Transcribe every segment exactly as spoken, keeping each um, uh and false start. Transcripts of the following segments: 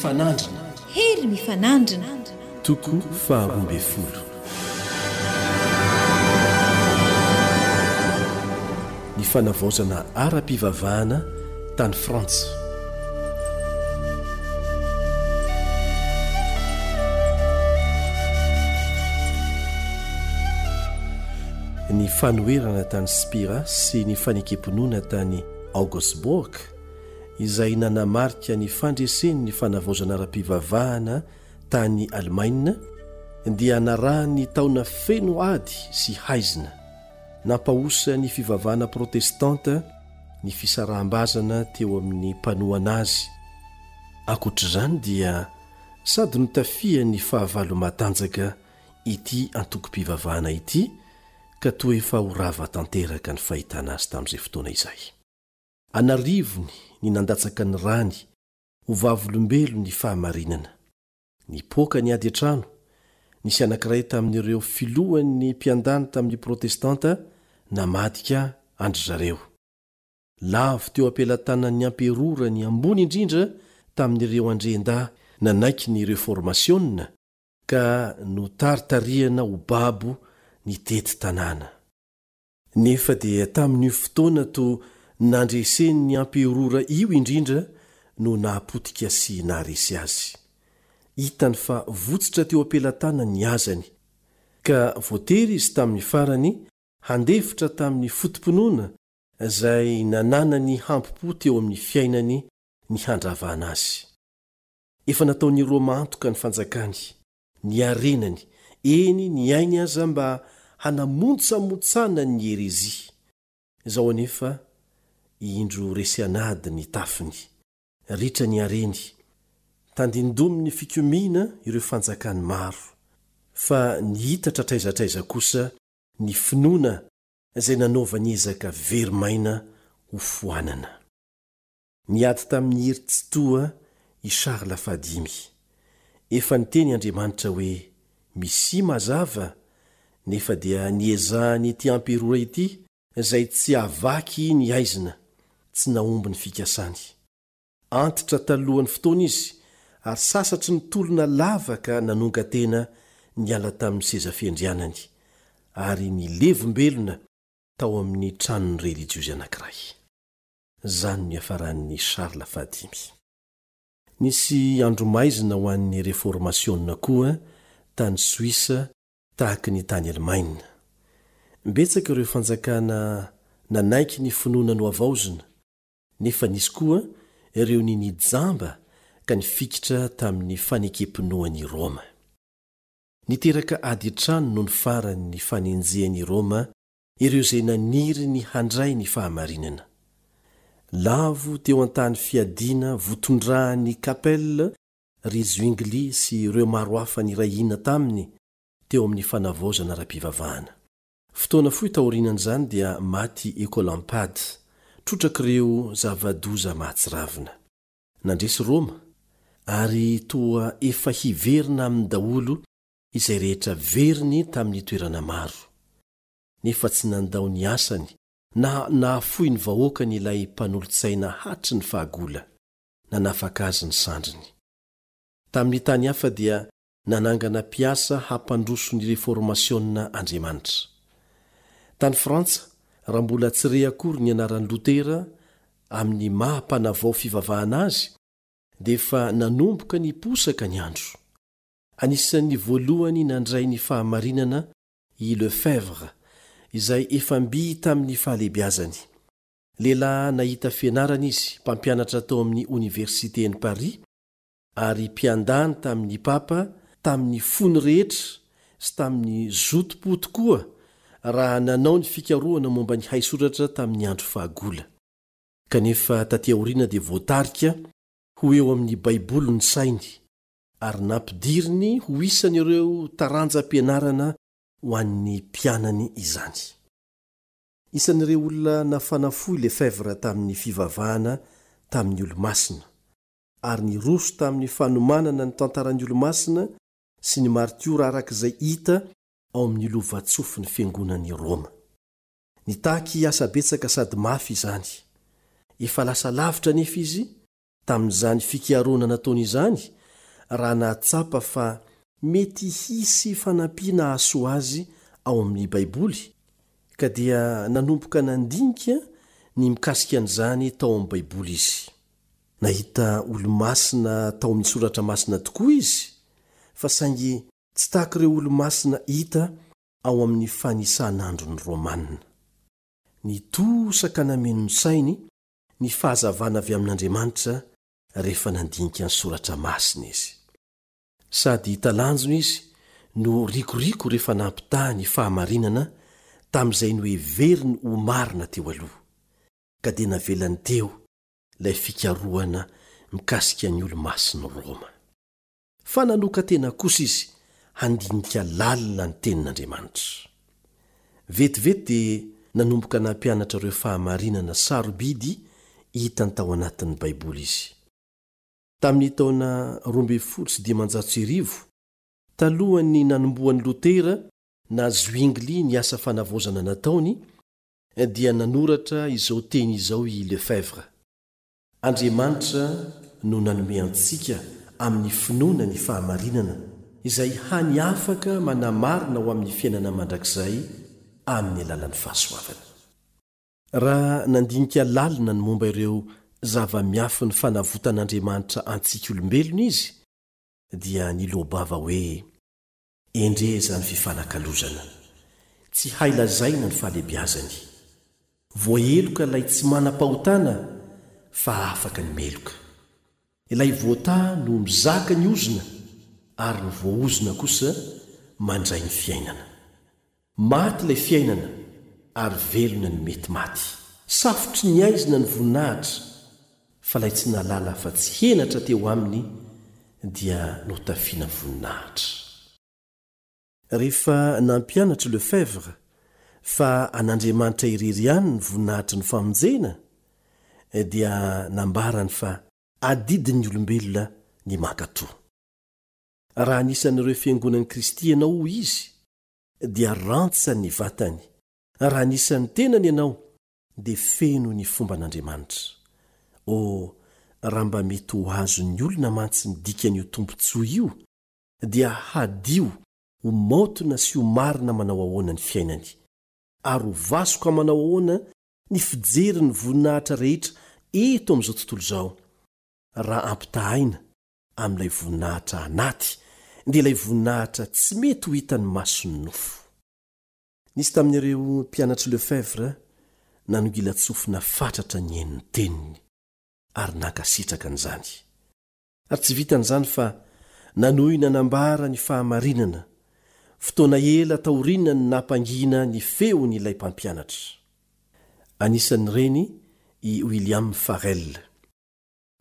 mifanandrina. Hery mifanandrina. Toko faharoa ambin'ny folo. Ny fanavaozana ara-pivavahana tany Frantsa. Ny fanoherana tany Spira sy ny fanekem-pinoana tany Augsburg izay nanamarika ny fandresen'ny fanavaozana ara-pivavahana tany Alemaina dia narahan'ny taona feno ady sy haizina. Nampahosa ny fivavahana protestanta ny fisaraham-bazana teo amin'ny mpanohana azy. Ankoatr'izany dia sady notafihan'ny fahavalo matanjaka ity antokom-pivavahana ity ka toa efa ho rava tanteraka ny fahitana azy tamin'izay fotoana izay. An'arivony ny nandatsaka ny rany ho vavolombelon'ny fahamarinana. Nipoaka ny ady an-trano, nisy anankiray tamin'ireo filohan'ny mpiandany tamin'ny protestanta namadika an-dry zareo. Lavo teo am-pelatanan'ny amperora ny ambony indrindra tamin'ireo andriandahy nanaiky ny reformasiona ka notaritarihana ho babo nitety tanàna. Nefa dia tamin'io fotoana toa nandresen'ny amperora io indrindra no nahapotika sy naharesy azy. Hitany fa votsotra teo am-pelatanany ny hazany, ka voatery izy tamin'ny farany handefitra tamin'ny foto-pinoana izay nananany hampo-po teo amin'ny fiainany ny handravana azy. Efa nataon'i Roma antoka ny fanjakany, ny harenany, eny ny ainy aza mba hanamontsamontsana ny herezia. Izao anefa, indro resy an'ady ny tafiny, ritra ny hareny, tandindomin'ny fikomiana ireo fanjakany maro, fa nihitatra hatraiza hatraiza kosa ny finoana izay nanaovany ezaka very maina ho foanana. Niady tamin'ny hery tsitoha i Charles fahadimy. Efa niteny Andriamanitra hoe Mesia mazava, nefa dia niezahany ity amperora ity izay tsy havaky ny haizina, tsy nahomby ny fikasany. Antitra talohan'ny fotoana izy ary sasatry ny tolona lava ka nanonga-tena niala tamin'ny seza fiandrianany ary nilevombelona tao amin'ny tranon'ny relijiozy anankiray. Izany no niafaran'i Charles fahadimy. Nisy andro maizina ho an'ny reformasiona koa tany Soisa tahaka ny tany Alemaina. Betsaka ireo fanjakana nanaiky ny finoana nohavaozina, nefa nisy koa ireo ninia jamba ka nifikitra tamin'ny fanekem-pinoan'i Roma. Niteraka ady an-trano nony farany ny fanenjehan'i Roma ireo izay naniry ny handray ny fahamarinana. Lavo teo an-tany fiadiana votondrahan'i Capel ry Zwingli sy ireo maro hafa niray hina taminy teo amin'ny fanavaozana ara-pivavahana. Fotoana fohy taorianan'izany dia maty Ecolampade, trotrak'ireo zava-doza mahatsiravina. Nandresy Roma, ary toa efa hiverina aminy daholo izay rehetra veriny tamin'ny toerana maro. Nefa tsy nandao ny asany na nahafoy ny vahoakany ilay mpanolotsaina hatry ny fahagola, nanafaka azy ny sandriny. Tamin'ny tany hafa dia nanangana mpiasa hampandroso ny reformasiona Andriamanitra. Tany Frantsa, raha mbola tsy re akory ny anaran'i Lotera amin'ny maha mpanavao fivavahana azy, dia efa nanomboka niposaka ny andro. Anisan'ny voalohany nandray ny fahamarinana i Lefebvre, izay efa mby tamin'ny fahalehibiazany. Lehilahy nahita fianarana izy, mpampianatra tao amin'ny oniversiten'i Paris, ary mpiandany tamin'ny papa tamin'ny fony rehetra sy tamin'ny zotom-po tokoa raha nanao ny fikarohana momba ny haisoratra tamin'ny andro fahagola. Kanefa taty aoriana dia voatarika ho eo amin'ny Baiboly ny sainy, ary nampidiriny ho isan'ireo taranjam-pianarana ho an'ny mpianany izany. Isan'ireo olona nafana fo i Lefebvre tamin'ny fivavahana tamin'ny olomasina, ary niroso tamin'ny fanomanana ny tantaran'ny olomasina sy ny martiora araka izay hita ao amin'ny lovatsofin'ny fiangonan'i Roma. Nitaky asa betsaka sady mafy izany. Efa lasa lavitra anefa izy Tamin'izany fikarohana nataony izany, raha nahatsapa fa mety hisy fanampiana hahasoa azy ao amin'ny Baiboly, ka dia nanomboka nandinika ny mikasika an'izany tao amin'ny Baiboly izy. Nahita olo-masina tao amin'ny Soratra Masina tokoa izy, fa saingy tsy tahaka ireo olo-masina hita ao amin'ny fanisan'andron'ny Romana. Nitosaka nameno ny sainy ny fahazavana avy amin'Andriamanitra rehefa nandinika ny Soratra Masina izy. Sady talanjona izy no rikoriko rehefa nampitaha ny fahamarinana tamin'izay noheveriny ho marina teo aloha, ka dia navelany teo ilay fikarohana mikasika ny olo-masin'i Roma. Fa nanokan-tena kosa izy handinika lalina ny Tenin'Andriamanitra. Vetivety dia nanomboka nampianatra ireo fahamarinana sarobidy hitany tao anatin'ny Baiboly izy. Tamin'ny taona roa ambin'ny folo sy dimanjato sy arivo, talohan'ny nanombohan'i Lotera na Zwingli ny asa fanavaozana nataony, dia nanoratra izao teny izao i Lefebvre: Andriamanitra no nanome antsika amin'ny finoana ny fahamarinana, izay hany afaka manamarina ho amin'ny fiainana mandrakizay amin'ny alalan'ny fahasoavana. Raha nandinika lalina ny momba ireo zava-miafin'ny fanavotan'Andriamanitra antsika olombelona izy, dia niloa-bava hoe, Endrey izany fifanakalozana! Tsy hay lazaina ny fahalehibiazany. Voaheloka ilay tsy manam-pahotana fa afaka ny meloka. Ilay voataha no mizaka ny ozona ary ny voaozona kosa mandray ny fiainana. Maty ilay fiainana ary velona ny mety maty. Safotry ny haizina ny voninahitra fa ilay tsy nahalala afa-tsy henatra teo aminy dia notafiana voninahitra. Rehefa nampianatra Lefebvre fa an'Andriamanitra irery ihany ny voninahitry ny famonjena, dia nambarany fa adidin'ny olombelona ny mankatò. Raha anisan'ireo fiangonan'i Kristy ianao, hoy izy, dia rantsan'ny vatany. Raha anisan'ny tenany ianao, dia feno ny fomban'Andriamanitra. Oh, raha mba mety ho azon'ny olona mantsy ny dikan'io tombontsoa io, dia hadio ho maotina sy ho marina manao ahoana ny fiainany, ary ho vasoka manao ahoana ny fijery ny voninahitra rehetra eto amin'izao tontolo izao, raha ampitahaina amin'ilay voninahitra anaty, dia ilay voninahitra tsy mety ho hitan'ny mason'ny nofo. Nisy tamin'ireo mpianatr'i Lefebvre nanongilan-tsofina fatratra nihaino ny teniny, ary nankasitraka an'izany. Ary tsy vitan'izany fa nanohy nanambara ny fahamarinana, fotoana ela taoriana ny nampangina ny feony ilay mpampianatra. Anisan'ireny i William Farel.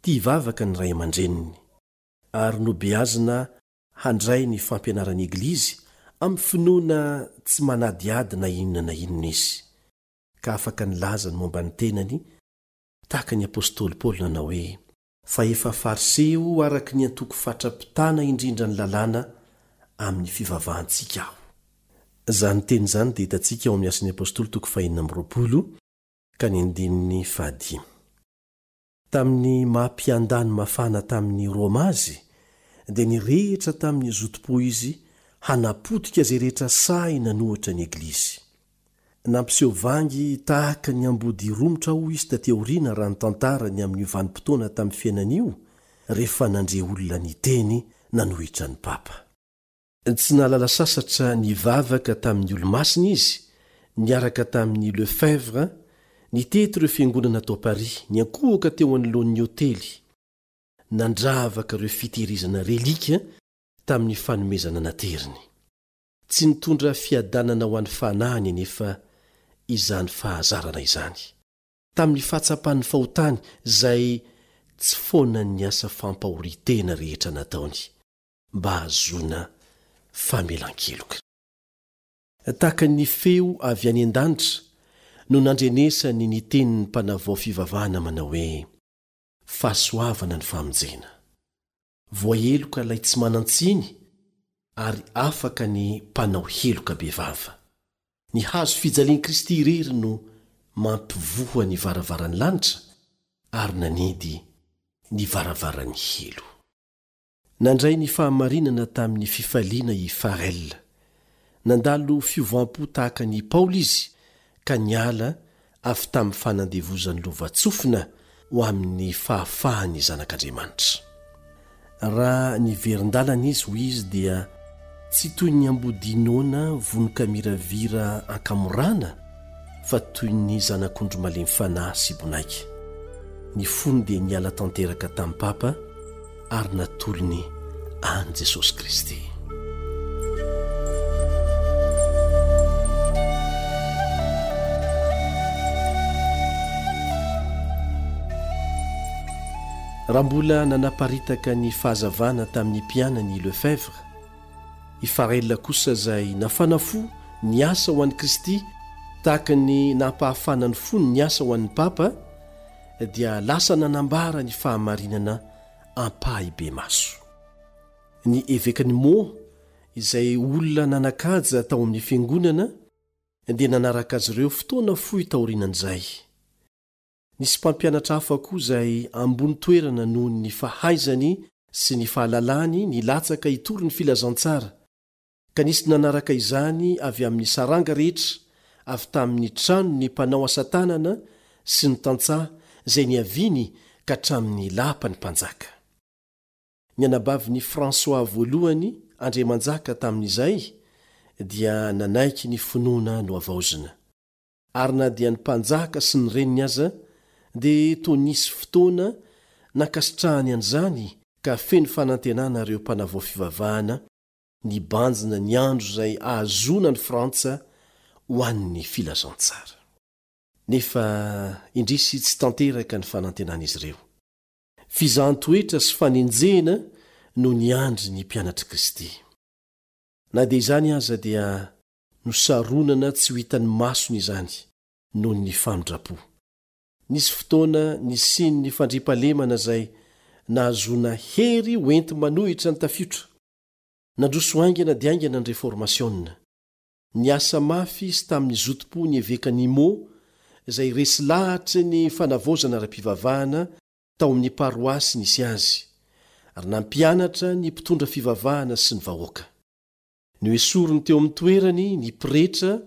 Tia vavaka ny ray aman-dreniny, ary nobeazina handray ny fampianaran'ny Eglizy amin'ny finoana tsy manadihady na inona na inona izy, ka afaka nilaza ny momba ny tenany tahaka ny apostoly Paoly nanao hoe, Fa efa Fariseo araka ny antoko fatra-pitana indrindra ny lalàna amin'ny fivavahantsika aho. Izany teny izany dia hitantsika ao amin'ny Asan'ny Apostoly toko fahenina amby roapolo ka ny andininy fahadimy. Tamin'ny maha mpiandany mafana tamin'i Roma azy, dia nirehitra tamin'ny zotom-po izy hanapotika izay rehetra sahy nanohitra ny Eglizy. Nampiseho vangy tahaka ny ambodia romotra hoy izy taty aoriana raha nitantara ny amin'io vanim-potoana tamin'ny fiainany io rehefa nandre olona niteny nanohitra ny Papa. Tsy nahalala sasatra nivavaka tamin'ny olo-masina izy, niaraka tamin'i Lefebvre, nitety ireo fiangonana tao Paris, niankohoka teo anoloan'ny ôtely, nandravaka ireo fitehirizana relika tamin'ny fanomezana nateriny. Tsy nitondra fiadanana ho an'ny fanahiny anefa izany fahazarana izany. Tamin'ny fahatsapan'ny fahotany izay tsy foanan'ny asa fampahorian-tena rehetra nataony mba hahazoana famelan-keloka. Tahaka ny feo avy any an-danitra no nandrenesany ny tenin'ny mpanavao fivavahana manao hoe, Fahasoavana ny famonjena. Voaheloka ilay tsy manan-tsiny ary afaka ny mpanao heloka bevava. Ny hazo fijalian'i Kristy irery no mampivoha ny varavaran'ny lanitra ary nanidy ny varavaran'ny helo. Nandray ny fahamarinana tamin'ny fifaliana i Farel. Nandalo fiovam-po tahaka an'i Paoly izy ka niala avy tamin'ny fanandevozan'ny lovantsofina ho amin'ny fahafahan'ny zanak'Andriamanitra. Raha niverin-dalana izy, hoy izy, dia tsy toy ny ambodia noana vonon-kamiravira ankamorana fa toy ny zanak'ondry malemy fanahy sy bonaika. Ny fony dia niala tanteraka tamin'ny Papa ary natolony an'i Jesosy Kristy. Raha mbola nanaparitaka ny fahazavana tamin'ny mpianany i Lefebvre, i Farel kosa izay nafana fo niasa ho an'i Kristy tahaka ny nampahafana ny fony niasa ho an'ny Papa, dia lasa nanambara ny fahamarinana ampahibemaso. Ny evekan'i Meaux, izay olona nanan-kaja tao amin'ny fiangonana, dia nanaraka azy ireo fotoana fohy taorianan'izay. Nisy mpampianatra hafa koa izay ambony toerana noho ny fahaizany sy ny fahalalany nilatsaka hitory ny filazantsara, ka nisy nanaraka izany avy amin'ny saranga rehetra, avy tamin'ny tranon'ny mpanao asa tanana sy ny tantsaha izay niaviany ka hatramin'ny lapan'ny mpanjaka. Ny anabavin'i François voalohany andriamanjaka tamin'izay dia nanaiky ny finoana nohavaozina. Ary na dia ny mpanjaka sy ny reniny aza dia toa nisy fotoana nankasitrahany an'izany ka feno fanantenana ireo mpanavao fivavahana nibanjina ny andro izay ahazoana ny Frantsa ho an'ny filazantsara. Nefa indrisy tsy tanteraka ny fanantenan'izy ireo. Fizahan-toetra sy fanenjehana no niandry ny mpianatr'i Kristy. Na dia izany aza dia nosaronana tsy ho hitan'ny masony izany noho ny famindram-po. Nisy fotoana nisian'ny fandriampahalemana izay nahazoana hery hoenti-manohitra ny tafiotra. Nandroso haingana dia haingana ny reformasiona. Niasa mafy izy tamin'ny zotom-po ny evekan'i Meaux izay resy lahatry ny fanavaozana ara-pivavahana tao amin'ny paroasy nisy azy, ary nampianatra ny mpitondra fivavahana sy ny vahoaka. Noesoriny teo amin'ny toerany ny pretra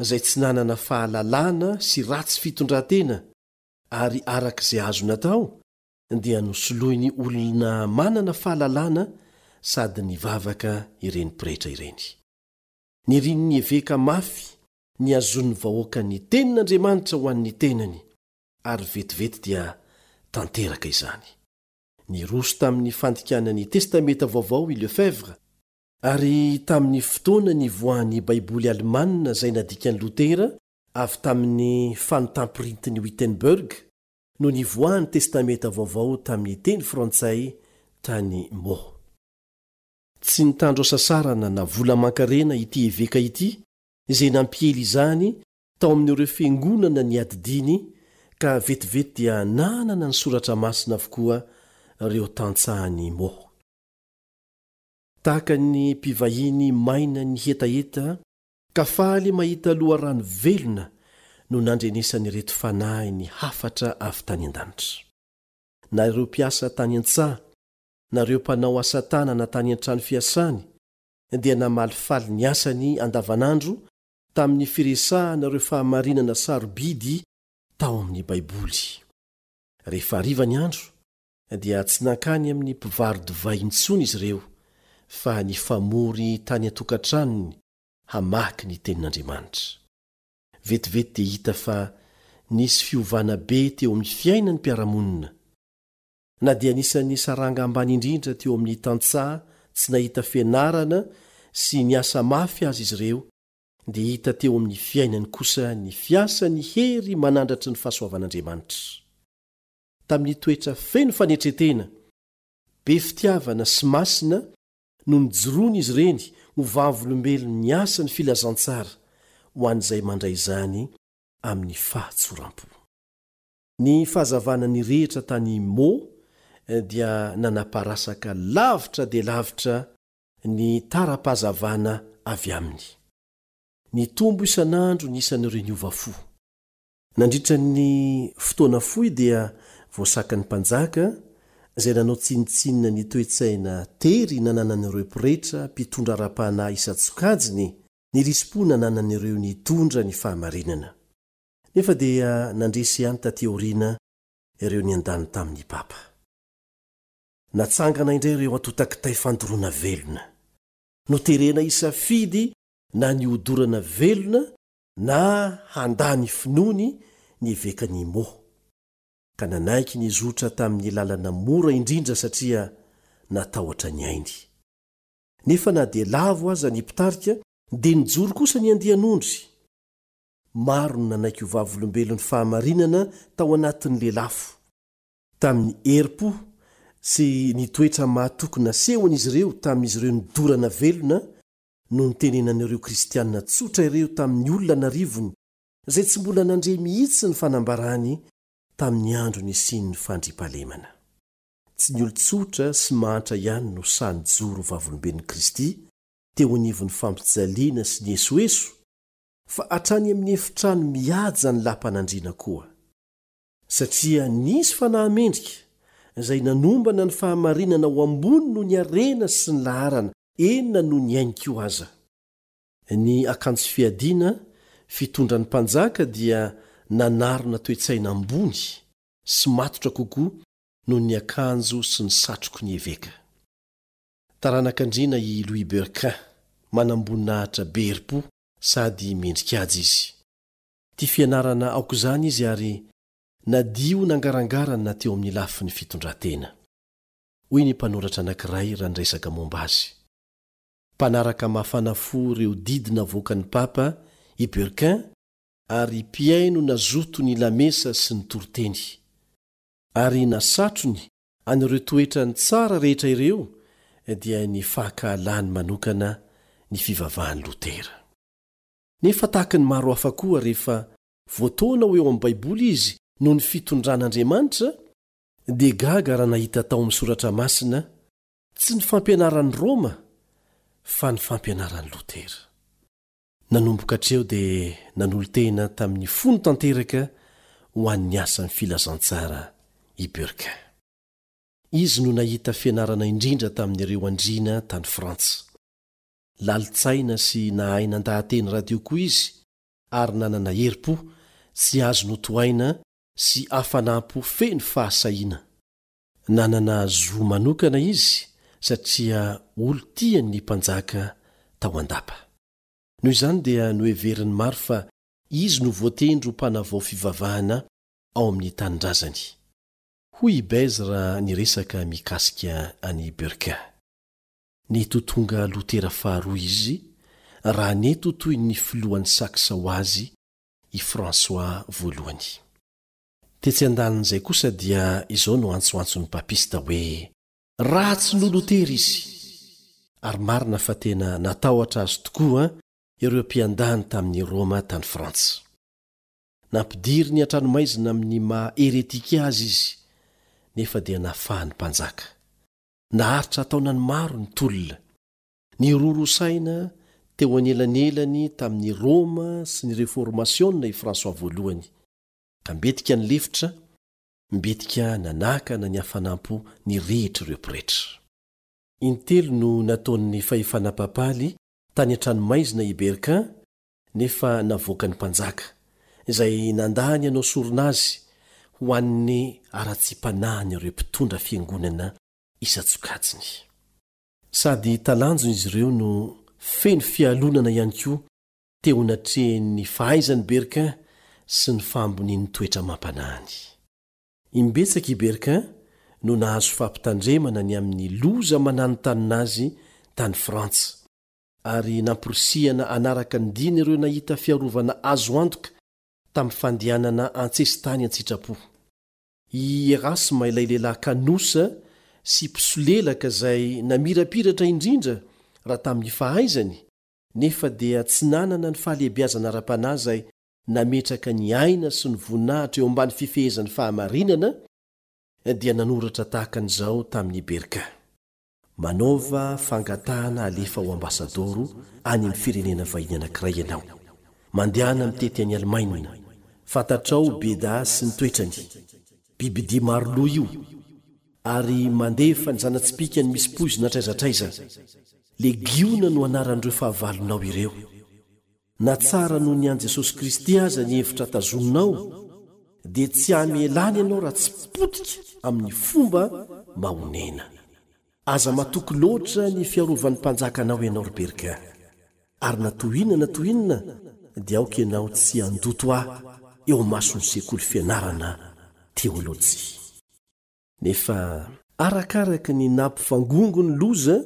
izay tsy nanana fahalalana sy ratsy fitondran-tena, ary araka izay azo natao dia nosoloiny olona manana fahalalana sady nivavaka ireny pretra ireny. Nirian'ny eveka mafy ny hahazoan'ny vahoaka ny tenin'Andriamanitra ho an'ny tenany, ary vetivety dia tanteraka izany. Niroso tamin'ny fandikana ny Testamenta Vaovao i Lefebvre, ary tamin'ny fotoana nivoahan'ny Baiboly alemanina izay nadikan'i Lotera avy tamin'ny fanontam-pirintin'i Wittenberg no nivoahan'ny Testamenta Vaovao tamin'ny teny frantsay tany Meaux. Tsy nitandro hasasarana na vola aman-karena ity eveka ity izay nampiely izany tao amin'ireo fiangonana niadidiany ka vetivety dia nanana ny soratra masina avokoa ireo tantsahan'i Meaux. Tahaka ny mpivahiny maina ny hetaheta ka faly mahita loharano velona no nandrenesan'ireto fanahy ny hafatra avy tany an-danitra. Na ireo mpiasa tany an-tsaha, na ireo mpanao asa tanana tany an-trano fiasany dia namalifaly ny asany andavanandro tamin'ny firesahana ireo fahamarinana sarobidy tao amin'ny Baiboly. Rehefa hariva ny andro dia tsy nankany amin'ny mpivaro-divay intsony izy ireo fa nifamory tany an-tokantranony hamaky ny tenin'Andriamanitra. Vetivety dia hita fa nisy fiovana be teo amin'ny fiainan'ny mpiara-monina. Na dia anisan'ny saranga ambany indrindra teo amin'ny tantsaha tsy nahita fianarana sy niasa mafy azy izy ireo, dia hita teo amin'ny fiainany kosa ny fiasan'ny hery manandratry ny fahasoavan'Andriamanitra. Tamin'ny toetra feno fanetren-tena, be fitiavana sy masina no nijoroany izy ireny ho vavolombelon'ny asan'ny filazantsara ho an'izay mandray izany amin'ny fahatsoram-po. Ny fahazavana nirehitra tany Meaux dia nanaparasaka lavitra dia lavitra ny tara-pahazavana avy aminy. Nitombo isan'andro ny isan'ireo niova fo. Nandritra ny fotoana fohy dia voasakan'ny mpanjaka izay nanao tsinontsinona ny toe-tsaina tery nananan'ireo pretra mpitondra ara-panahy isan-tsokajiny ny risi-po nananan'ireo nitondra ny fahamarinana. Nefa dia nandresy ihany taty aoriana ireo niandany tamin'ny papa. Natsangana indray ireo antontan-kitay fandoroana velona. Noterena hisafidy na ny hodorana velona na handà ny finoany ny evekan'i Meaux, ka nanaiky nizotra tamin'ny lalana mora indrindra satria natahotra ny ainy. Nefa na dia lavo aza ny mpitarika, dia nijoro kosa ny andian'ondry. Maro no nanaiky ho vavolombelon'ny fahamarinana tao anatin'ny lelafo. Tamin'ny herim-po sy ny toetra mahatoky nasehon'izy ireo tamin'izy ireo nidorana velona no nitenenan'ireo kristiana tsotra ireo tamin'ny olona an'arivony izay tsy mbola nandre mihitsy ny fanambarany tamin'ny andro nisian'ny fandriampahalemana. Tsy ny olon-tsotra sy mahantra ihany no sahy nijoro ho vavolombelon'i Kristy teo anivon'ny fampijaliana sy ny esoeso, fa hatrany amin'ny efitrano mihaja ny lapan'andriana koa. Satria nisy fanahy mendrika izay nanombana ny fahamarinana ho ambony noho ny harena sy ny laharana, eny na noho ny ainy koa aza. Ny akanjo fiadiana fitondran'ny mpanjaka dia nanarona toe-tsaina ambony sy matotra kokoa noho ny akanjo sy ny satroky ny eveka. Taranak'andriana i Louis Berquin, manamboninahitra be herim-po sady mendrika aja izy. Tia fianarana aok'izany izy ary nadio nangarangarana teo amin'ny lafiny fitondran-tena. Hoy ny mpanoratra anankiray raha niresaka momba azy. Mpanaraka mafana fo ireo didy navoakan'ny papa i Berquin ary mpihaino nazoto ny lamesa sy ny toriteny. Ary nasatrony an'ireo toetrany tsara rehetra ireo dia ny fankahalany manokana ny fivavahan'i Lotera. Nefa tahaka ny maro hafa koa rehefa voataona ho eo amin'ny Baiboly izy noho ny fitondran'Andriamanitra, dia gaga raha nahita tao amin'ny Soratra Masina tsy ny fampianaran'i Roma fa ny fampianaran'i Lotera. Nanomboka hatreo dia nanolo-tena tamin'ny fony tanteraka ho an'ny asan'ny filazantsara i Berquin. Izy no nahita fianarana indrindra tamin'ireo andriana tany Frantsa. Lalin-tsaina sy nahay nandaha-teny radio koa izy ary nanana herim-po tsy azo notohaina sy hafanam-po feno fahasahiana. Nanana zo manokana izy satria olon-tian'ny mpanjaka tao an-dapa. Noho izany dia noheverin'ny maro fa izy no voatendry ho mpanavao fivavahana ao amin'ny tanindrazany. Hoy i Bèze raha niresaka mikasika an'i Berquin. Nety ho tonga Lotera faharoa izy raha nety ho toy ny filohan'ny Saksa ho azy i François voalohany. Tetsy andanin'izay kosa dia izao no antsoantson'ny papista hoe ratsy noho Lotera izy. Ary marina fa tena natahotra azy tokoa ireo mpiandany tamin'i Roma tany Frantsa. Nampidiriny an-tranomaizina amin'ny maha heretika azy izy, nefa dia nafahan'ny mpanjaka. Naharitra taonany maro ny tolona. Niroro saina teo anelanelany tamin'i Roma sy ny Reformasiona i François voalohany, ka mbetika ny lefitra, mbetika nanakana ny hafanam-po nirehitra ireo pretra. Intelo no nataon'ny fahefana papaly tany an-tranomaizina i Berquin, nefa navoakan'ny mpanjaka, izay nandany hanao sorona azy ho an'ny haratsiam-panahin'ireo mpitondra fiangonana isan-tsokajiny. Sady talanjona izy ireo no feno fialonana ihany koa teo anatrehan'ny fahaizan'i Berquin sy ny fahambonian'ny toetra amam-panahiny. Imbetsaka i Berquin no nahazo fampitandremana ny amin'ny loza mananontanona azy tany Frantsa, ary namporisihana hanaraka ny diany ireo nahita fiarovana azo antoka tamin'ny fandehanana an-tsesitany an-tsitrapo. I Erasme ilay lehilahy kanosa sy mpisolelaka izay namirapiratra indrindra raha tamin'ny fahaizany, nefa dia tsy nanana ny fahalehibiazana ara-panahy izay nametraka ny aina sy ny voninahitra eo ambany fifehezan'ny fahamarinana, dia nanoratra tahaka an'izao tamin'i Berquin. Manaova fangatahana alefa ho ambasadoro any amin'ny firenena vahiny anankiray ianao. Mandehana mitety any Alemaina. Fantatrao Beda sy ny toetrany. Bibidia maro loha io. ary mandefa ny zana-tsipìkany misy poizina hatraiza hatraiza. Legiona no anaran'ireo fahavalonao ireo. Na tsara noho ny an'i Jesosy Kristy aza ny hevitra tazoninao, dia tsy hamelany ianao raha tsy potika amin'ny fomba mahonena. Aza matoky loatra ny fiarovan'ny mpanjaka anao ianao, ry Berquin. Ary na toy inona na toy inona, dia aoka ianao tsy handoto ahy eo imason'ny sekoly fianarana teolojia. Nefa arakaraka ny nampivangongo ny loza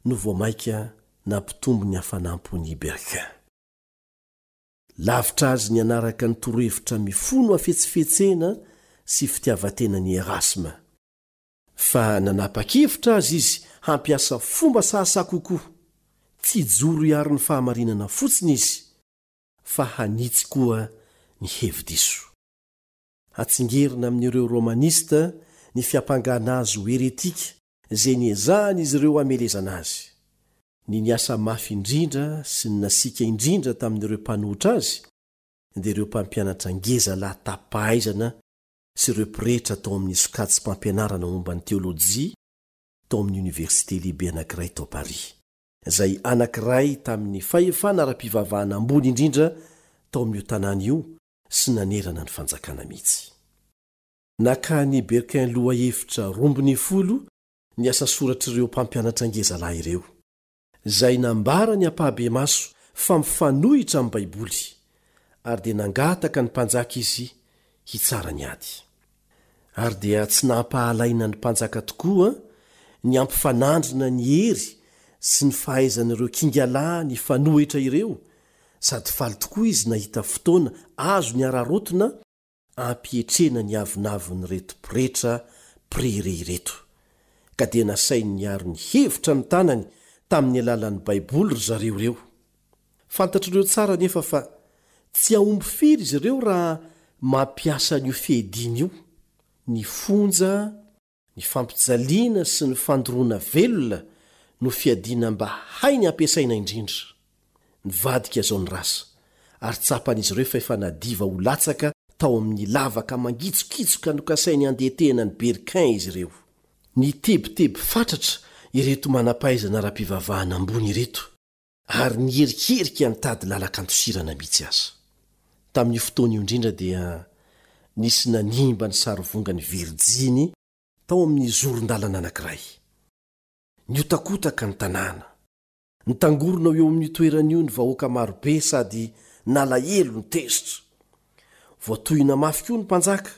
no vao mainka nampitombo ny hafanam-pon'i Berquin. Lavitra azy ny hanaraka ny torohevitra mifono hafetsifetsena sy fitiavan-tenan'i Erasme. Fa nanapa-kevitra azy izy hampiasa fomba sahasaha kokoa. Tsy hijoro hiaro ny fahamarinana fotsiny izy, fa hanitsy koa ny hevi-diso. Hatsingerina amin'ireo Romanista ny fiampangana azy ho heretika izay niezahan'izy ireo hamelezana azy. Ny niasa mafy indrindra sy ny nasiaka indrindra tamin'ireo mpanohitra azy dia ireo mpampianatra ngezalahy tapahaizana sy ireo pretra tao amin'ny sokajim-pampianarana momba ny teolojia tao amin'ny oniversite lehibe anankiray tao Paris, izay anankiray tamin'ny fahefana ara-pivavahana ambony indrindra tao amin'io tanàna io sy nanerana ny fanjakana mihitsy. Nakan'i Berquin lohahevitra roa ambin'ny folo ny asa soratr'ireo mpampianatra ngezalahy ireo, izay nambarany ampahibemaso fa mifanohitra amin'ny Baiboly, ary dia nangataka ny mpanjaka izy hitsara ny ady. Ary dia tsy nampahalaina ny mpanjaka tokoa ny hampifanandrina ny hery sy ny fahaizan'ireo kingalahy nifanohitra ireo, sady faly tokoa izy nahita fotoana azony araraotina hampietrena ny avonavon'ireto pretra mpirere ireto, ka dia nasainy niaro ny hevitra ny tanany tamin'ny alalan'ny Baiboly ry zareo ireo. Fantatr'ireo tsara anefa fa tsy hahomby firy izy ireo raha mampiasa an'io fiadiana io. Ny fonja, ny fampijaliana sy ny fandoroana velona no fiadiana mba hainy ampiasaina indrindra. Nivadika izao ny rasa, ary tsapan'izy ireo fa efa nadiva ho latsaka tao amin'ny lavaka mangitsokitsoka nokasainy handetehana ny Berquin izy ireo. Nitebiteby fatratra ireto manam-pahaizana ara-pivavahana ambony ireto, ary niherikerika nitady lalan-kandosirana mihitsy aza. Tamin'io fotoana io indrindra dia nisy nanimba ny sarivongany virjiny tao amin'ny zoron-dalana anankiray. Nihotakotaka ny tanàna. Nitangorona eo amin'io toerana io ny vahoaka marobe sady nalahelo ny tezitra. Voatohina mafy koa ny mpanjaka,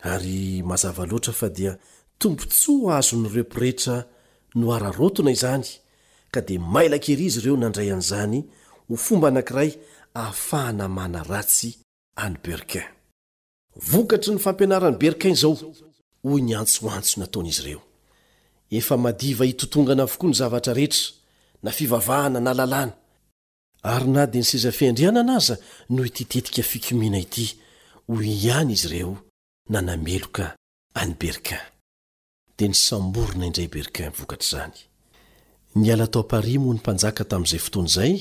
ary mazava loatra fa dia tombontsoa azon'ireo pretra noararaotina izany, ka dia mailaka ery izy ireo nandray an'izany ho fomba anankiray ahafahana manaratsy an'i Berquin. Vokatry ny fampianaran'i Berquin izao, hoy ny antsoantso nataon'izy ireo. Efa madiva hitotongana avokoa ny zavatra rehetra, na fivavahana na lalàna. Ary na dia ny seza fiandrianana aza noho ity tetika fikomiana ity, hoy ihany izy ireo nanameloka an'i Berquin. Dia nisamborina indray Berquin vokatr'izany. Niala tao Paris moa ny mpanjaka tamin'izay fotoana izay,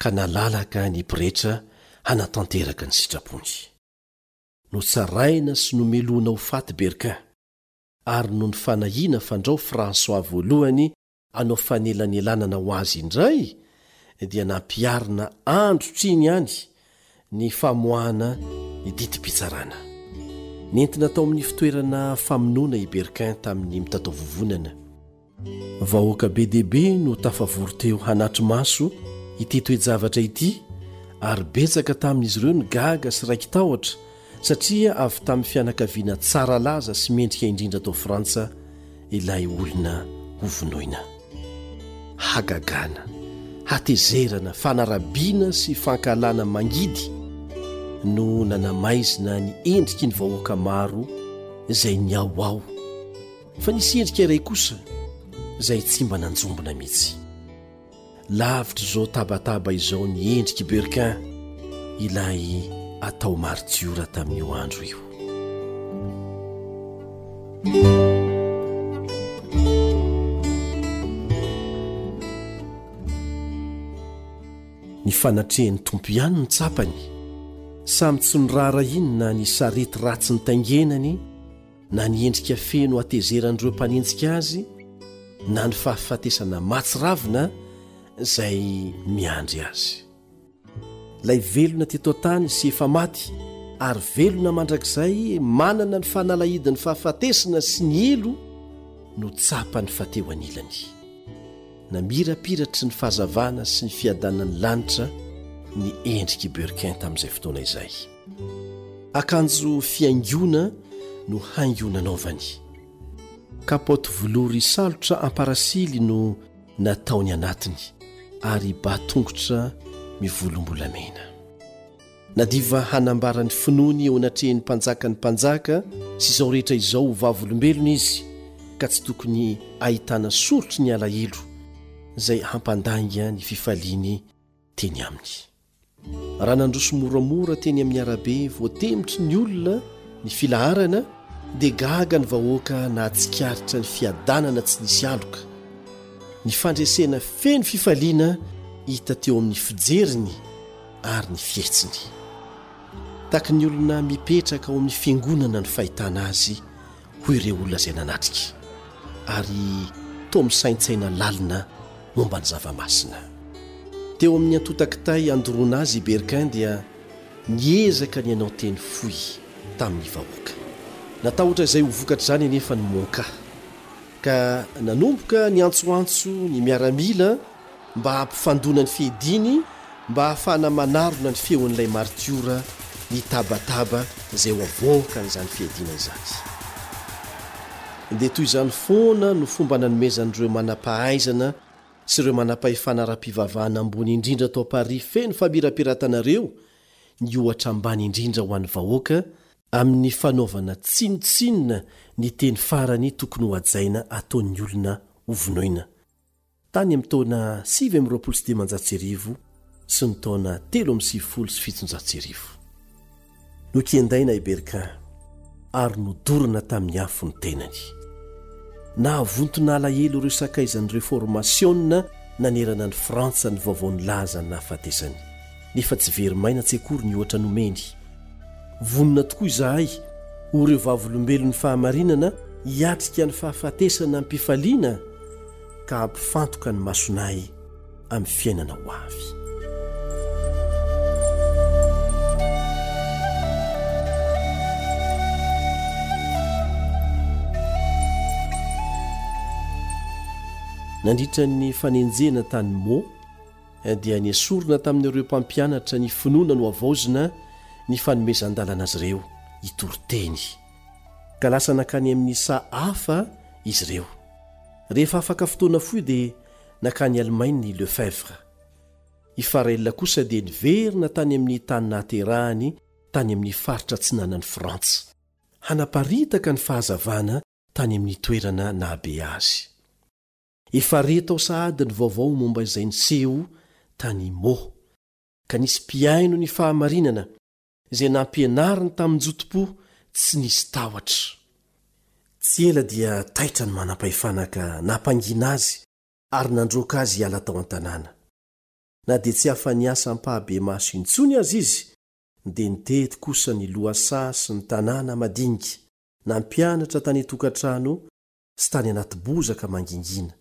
ka nalalaka ny pretra hanatanteraka ny sitrapony. Notsaraina sy nomelohina ho faty Berquin, ary noho ny fanahiana fandrao François voalohany hanao fanelanelanana ho azy indray, dia nampiharina androtr'iny ihany ny famoahana ny didim-pitsarana. Nentina tao amin'ny fitoerana famonoana i Berquin tamin'ny mitataovovonana. Vahoaka be dia be no tafavory teo hanatri-maso ity toe-javatra ity, ary betsaka tamin'izy ireo ny gaga sy raiki-tahotra satria avy tamin'ny fianakaviana tsara laza sy mendrika indrindra tao Frantsa ilay olona hovonoina. Hagagana, hatezerana, fanarabiana sy fankahalana mangidy no nanamaizina ny endriky ny vahoaka maro izay niaoao. Fa nisy endrika iray kosa izay tsy mba nanjombona mihitsy. Lavitra izao tabataba izao ny endriky Berquin, ilay atao martiora tamin'io andro io. Ny fanatrehan'ny Tompo ihany no tsapany. Samy tsy noraharahiany na ny sarety ratsy nitaingenany, Na ny endrika feno hatezeran'ireo mpanenjika azy, na ny fahafatesana mahatsiravina izay miandry azy. Ilay velona teto an-tany sy efa maty ary velona mandrakizay manana ny fanalahidin'ny fahafatesana sy ny helo no tsapany fa teo anilany. Namirapiratry ny fahazavana sy ny fiadanan'ny lanitra ny endrik'i Berquin tamin'izay fotoana izay. Akanjo fihaingoana no haingo nanaovany. Kapaoty velory salotra amparasily no nataony anatiny ary ba tongotra mivolombolamena. Nadiva hanambara ny finoany eo anatrehan'ny mpanjakan'ny mpanjaka sy izao rehetra izao ho vavolombelona izy, ka tsy tokony ahitana soritry ny alahelo izay hampandainga ny fifaliany teny aminy. Raha nandroso moramora teny amin'ny arabe voatemitry ny olona ny filaharana, dia gaga ny vahoaka nahatsikaritra ny fiadanana tsy nisy aloka, ny fandresena feno fifaliana hita teo amin'ny fijeriny ary ny fihetsiny. Tahaky ny olona mipetraka ao amin'ny fiangonana ny fahitana azy, hoy ireo olona izay nanatrika, ary toa misaintsaina lalina momba ny zava-masina. Teo amin'ny antontan-kitay andoroana azy i Berquin dia niezaka ny hanao teny fohy tamin'ny vahoaka. Natahotra izay ho vokatr'izany anefa ny monka, ka nanomboka niantsoantso ny miaramila mba hampifandona ny fiadiany mba hahafahana manarona ny feon'ilay martiora nitabataba izay ho avoakan'izany fiadiana izany. Dia toy izany foana no fomba nanomezan'ireo manam-pahaizana sy ireo manam-pahefana ara-pivavahana ambony indrindra tao Paris feno famirapiratana ireo ny ohatra ambany indrindra ho an'ny vahoaka amin'ny fanaovana tsinontsinona ny teny farany tokony ho hajaina ataon'ny olona hovonoina tany amin'ny taona sivy amby roapolo sy dimanjato sy arivo sy ny taona telo amby sivifolo sy fitonjato sy arivo. Nokendaina i Berquin ary nodorana tamin'ny afo ny tenany. Nahavontona alahelo ireo sakaizan'ny reformasiona nanerana ny Frantsa ny vaovao nilaza ny nahafatesany, nefa tsy very maina tsy akory ny ohatra nomeny. Vonona tokoa izahay ho ireo vavolombelon'ny fahamarinana hiatrika ny fahafatesana am-pifaliana ka hampifantoka ny masonay amin'ny fiainana ho avy. Nandritra ny fanenjehana tany Meaux dia nesorina tamin'ireo mpampianatra ny finoana nohavaozina ny fanomezan-dalana azy ireo hitory teny, ka lasa nankany amin'ny saha hafa izy ireo. Rehefa afaka fotoana fohy dia nankany Allemagne i Lefebvre. I Farel kosa dia niverina tany amin'ny tany nahaterahany tany amin'ny faritra atsinanan'i Frantsa, hanaparitaka ny fahazavana tany amin'ny toerana nahabe azy. Efa re tao sahady ny vaovao momba izay niseho tany Meaux, ka nisy mpihaino ny fahamarinana izay nampianariny tamin-jotom-po tsy nisy tahotra. Tsy ela dia taitra ny manam-pahefana ka nampangina azy ary nandroaka azy hiala tao an-tanàna. Na dia tsy afa-niasa ampahabemaso intsony aza izy, dia nitety kosa ny lohasaha sy ny tanàna madinika, nampianatra tany an-tokantrano sy tany anaty bozaka mangingina,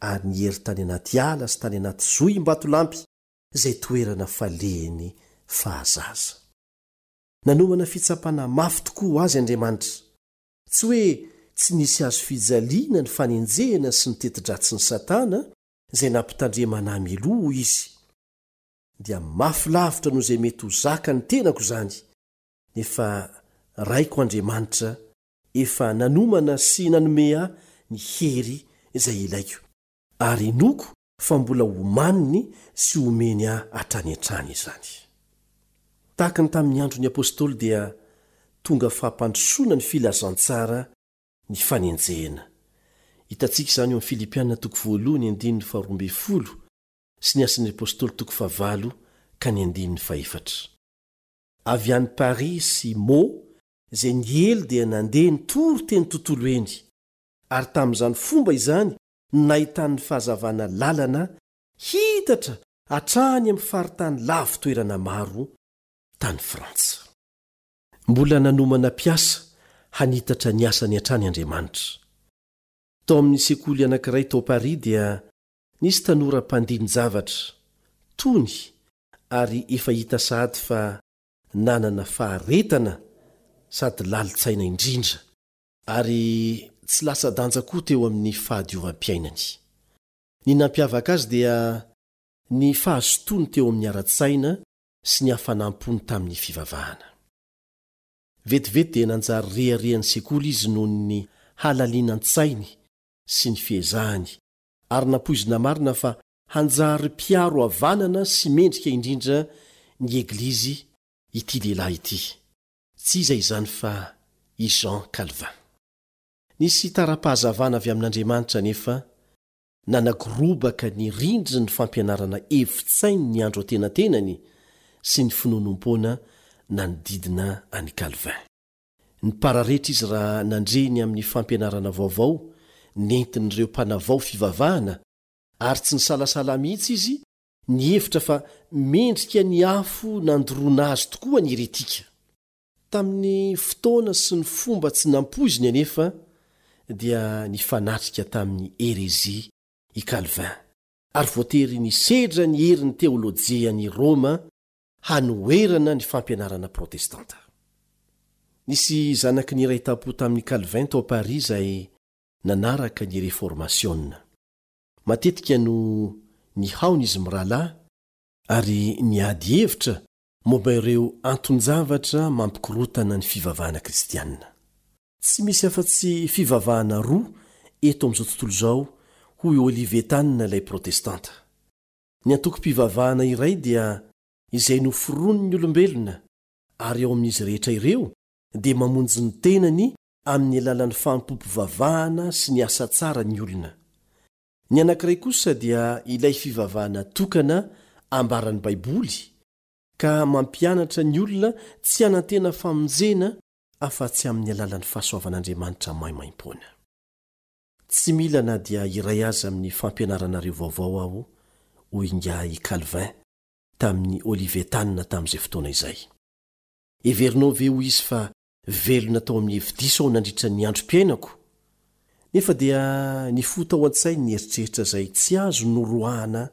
ary niery tany anaty ala sy tany anaty zohim-batolampy izay toerana falehiny fahazaza. Nanomana fitsapana mafy tokoa ho azy Andriamanitra. Tsy hoe tsy nisy azo fijaliana ny fanenjehana sy ny teti-dratsin'i Satana izay nampitandremana ahy mialoha, hoy izy. Dia mafy lavitra noho izay mety ho zaka ny tenako izany, nefa Raiko Andriamanitra efa nanomana sy nanome ahy ny hery izay ilaiko, ary inoako fa mbola homaniny sy homeny ahy hatrany hatrany izany. Tahaka ny tamin'ny andron'ny apôstôly dia tonga fampandrosoana ny filazantsara ny fanenjehana. Hitantsika izany eo amin'ny Filipiana toko voalohany andininy faharoa ambin'ny folo sy ny asan'ny apôstôly toko fahavalo ka ny andininy fahefatra. Avy any Paris sy Meaux izay niely dia nandeha nitory teny tontolo eny, ary tamin'izany fomba izany no nahitany fahazavana lalana hitatra hatrany amin'ny faritany lavitoerana maro tany Frantsa. Mbola nanomana mpiasa Hanitatra ny asany hatrany Andriamanitra. Tao amin'ny sekoly anankiray tao Paris dia nisy tanora mpandini-javatra, tony ary efa hita sahady fa nanana faharetana sady lalin-tsaina indrindra, ary tsy latsa-danja koa teo amin'ny fahadiovam-piainany. Ny nampiavaka azy dia ny fahazotoany teo amin'ny ara-tsaina sy ny hafanam-pony tamin'ny fivavahana. Vetivety dia nanjary reharehan'ny sekoly izy noho ny halalinan-tsainy sy ny fiezahany, ary nampoizina marina fa hanjary mpiaro havanana sy mendrika indrindra ny Eglizy ity lehilahy ity. Tsy iza izany fa i Jean Calvin. Nisy tara-pahazavana avy amin'Andriamanitra anefa nanagorobaka ny rindrin'ny fampianarana hevi-tsain'ny andro antenatenany sy ny finoanoam-poana nanodidina an'i Calvin. Nipararetra izy raha nandre ny amin'ny fampianarana vaovao nentin'ireo mpanavao fivavahana, ary tsy nisalasala mihitsy izy nihevitra fa mendrika ny afo nandoroana azy tokoa ny heretika. Tamin'ny fotoana sy ny fomba tsy nampoiziny anefa dia nifanatrika tamin'ny herezia i Calvin, ary voatery nisedra ny herin'ny teolojian'i Roma hanoherana ny fampianarana protestanta. Nisy zanaky ny iray tampo tamin'i Calvin tao Paris izay nanaraka ny Reformasiona. Matetika no nihaona izy mirahalahy ary niady hevitra momba ireo anton-javatra mampikorotana ny fivavahana kristianina. Tsy misy afa-tsy fivavahana roa eto amin'izao tontolo izao, hoy Olivetan ilay protestanta. Ny antokom-pivavahana iray dia izay noforonin'ny olombelona, ary ao amin'izy rehetra ireo dia mamonjy ny tenany amin'ny alalan'ny fanompoam-pivavahana sy ny asa tsara ny olona. Ny anankiray kosa dia ilay fivavahana tokana ambaran'ny Baiboly, ka mampianatra ny olona tsy hanantena famonjena afa-tsy amin'ny alalan'ny fahasoavan'Andriamanitra maimaimpoana. Tsy mila na dia iray aza amin'ny fampianaranareo vaovao aho, hoy ingahy Calvin tamin'ny Olivetan tamin'izay fotoana izay. Heverinao ve, hoy izy, fa velona tao amin'ny hevi-diso aho nandritra ny androm-piainako? Nefa dia nifoha tao an-tsainy ny eritreritra izay tsy azo noroahana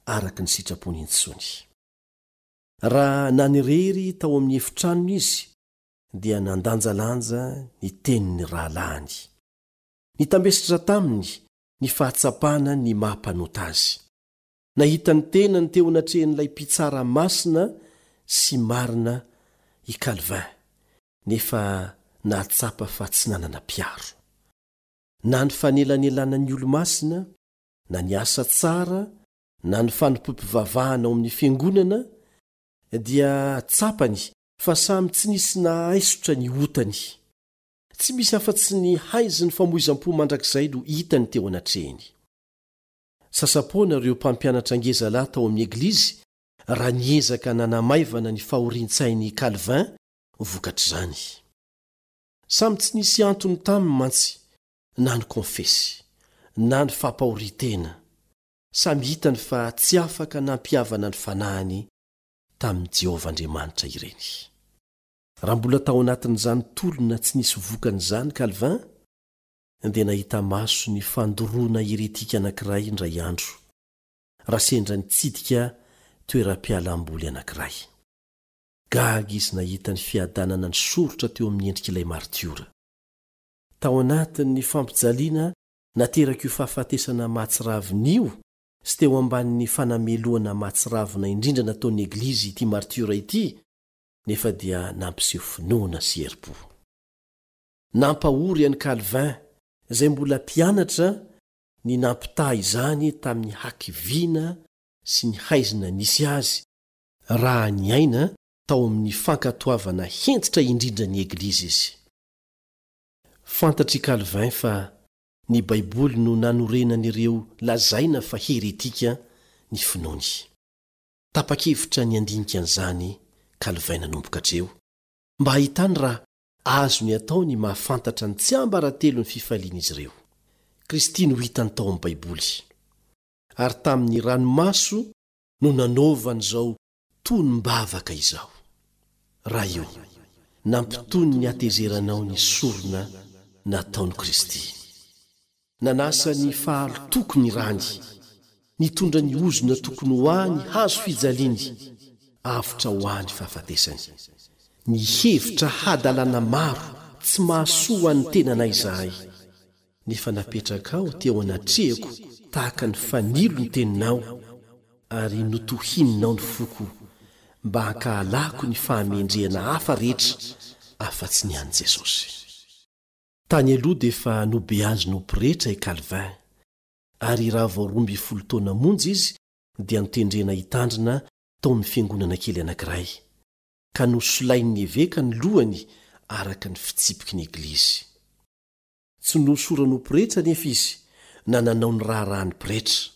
araka ny sitrapony intsony. Raha nanirery tao amin'ny efitranony izy, dia nandanjalanja ny tenin'ny rahalahiny. Nitambesatra taminy ny fahatsapana ny maha mpanota azy. Nahita ny tenany teo anatrehan'ilay mpitsara masina sy marina i Calvin, nefa nahatsapa fa tsy nanana mpiaro. Na ny fanelanelanan'ny olo-masina, na ny asa tsara, na ny fanompoam-pivavahana ao amin'ny fiangonana, dia tsapany fa samy tsy nisy nahaisotra ny otany. Tsy misy afa-tsy ny haizin'ny famoizam-po mandrakizay no hitany teo anatrehiny. Sasa-poana ireo mpampianatra ngezalahy tao amin'ny eglizy raha niezaka nanamaivana ny fahorian-tsain'i Calvin vokatr'izany. Samy tsy nisy antony taminy mantsy na ny konfesy, na ny fampahorian-tena. Samy hitany fa tsy afaka nampihavana ny fanahiny tamin'i Jehovah Andriamanitra ireny. Raha mbola tao anatin'izany tolona tsy nisy vokany izany Calvin, dia nahita maso ny fandoroana heretika anankiray indray andro, raha sendra nitsidika toeram-pialamboly anankiray. Gaga izy nahita ny fiadanana nisoritra teo amin'ny endrik'ilay martiora. Tao anatin'ny fampijaliana naterak'io fahafatesana mahatsiravina io sy teo ambanin'ny fanamelohana mahatsiravina indrindra nataon'ny Eglizy ity martiora ity, nefa dia nampiseho finoana sy herim-po. Nampahory an'i Calvin, izay mbola mpianatra, ny nampitaha izany tamin'ny hakiviana sy ny haizina nisy azy raha niaina tao amin'ny fankatoavana hentitra indrindra ny Eglizy izy. Fantatr'i Calvin fa ny Baiboly no nanorenan'ireo lazaina fa heretika ny finoany. Tapa-kevitra ny handinika an'izany Calvin nanomboka hatreo, mba hahitany raha azony atao ny mahafantatra ny tsiambaratelon'ny fifalian'izy ireo. Kristy no hitany tao amin'ny Baiboly, ary tamin'ny ranomaso no nanaovany izao tonom-bavaka izao: Ray ô, Nampitony ny hatezeranao ny sorona nataon'i Kristy. Nanasa ny fahalotoko ny rany, nitondra ny ozona tokony ho ahy ny hazo fijaliany, avotra ho ahy ny fahafatesany. Nihevitra hadalana maro tsy mahasoa ho an'ny tenanay izahay, nefa napetrakao teo anatrehako tahaka ny fanilo ny teninao, ary notohininao ny foko mba hankahalako ny fahamendrehana hafa rehetra afa-tsy ny an'i Jesosy. Tany aloha dia efa nobeazina ho pretra i Calvin, ary raha vao roa ambin'ny folo taona monja izy dia notendrena hitandrina tao amin'ny fiangonana kely anankiray, ka nosolain'ny eveka ny lohany araka ny fitsipiky ny Eglizy. Tsy nohosorana ho pretra anefa izy na nanao ny raharahan'ny pretra,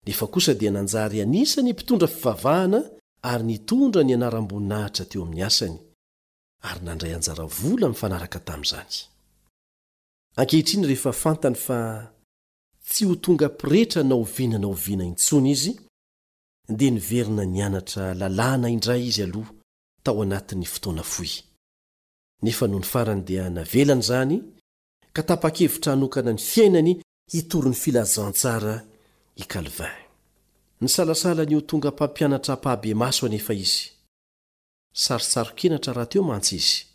nefa kosa dia nanjary anisan'ny mpitondra fivavahana ary nitondra ny anaram-boninahitra teo amin'ny asany, ary nandray anjara vola mifanaraka tamin'izany. Ankehitriny rehefa fantany fa tsy ho tonga pretra na oviana na oviana intsony izy, dia niverina nianatra lalàna indray izy aloha tao anatin'ny fotoana fohy. Nefa nony farany dia navelany izany ka tapa-kevitra hanokana ny fiainany hitory ny filazantsara i Calvin. Nisalasala ny ho tonga mpampianatra ampahibemaso anefa izy. Sarotsaron-kenatra rahateo mantsy izy,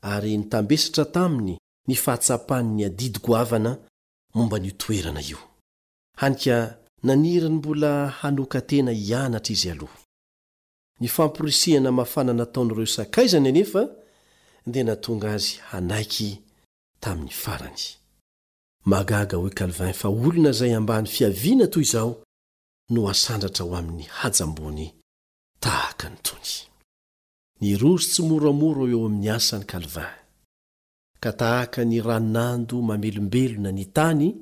ary nitambesatra taminy ny fahatsapany ny adidy goavana momba an'io toerana io. Hany ka naniry ny mbola hanokan-tena hianatra izy aloha. Ny famporisihana mafana nataon'ireo sakaizany anefa dia nahatonga azy hanaiky tamin'ny farany. Mahagaga, hoy Calvin, fa olona izay ambany fiaviana toy izao no asandratra ho amin'ny haja ambony tahaka an'itony. Niroso tsimoramora eo amin'ny asany Calvin, ka tahaka ny ranonando mamelombelona ny tany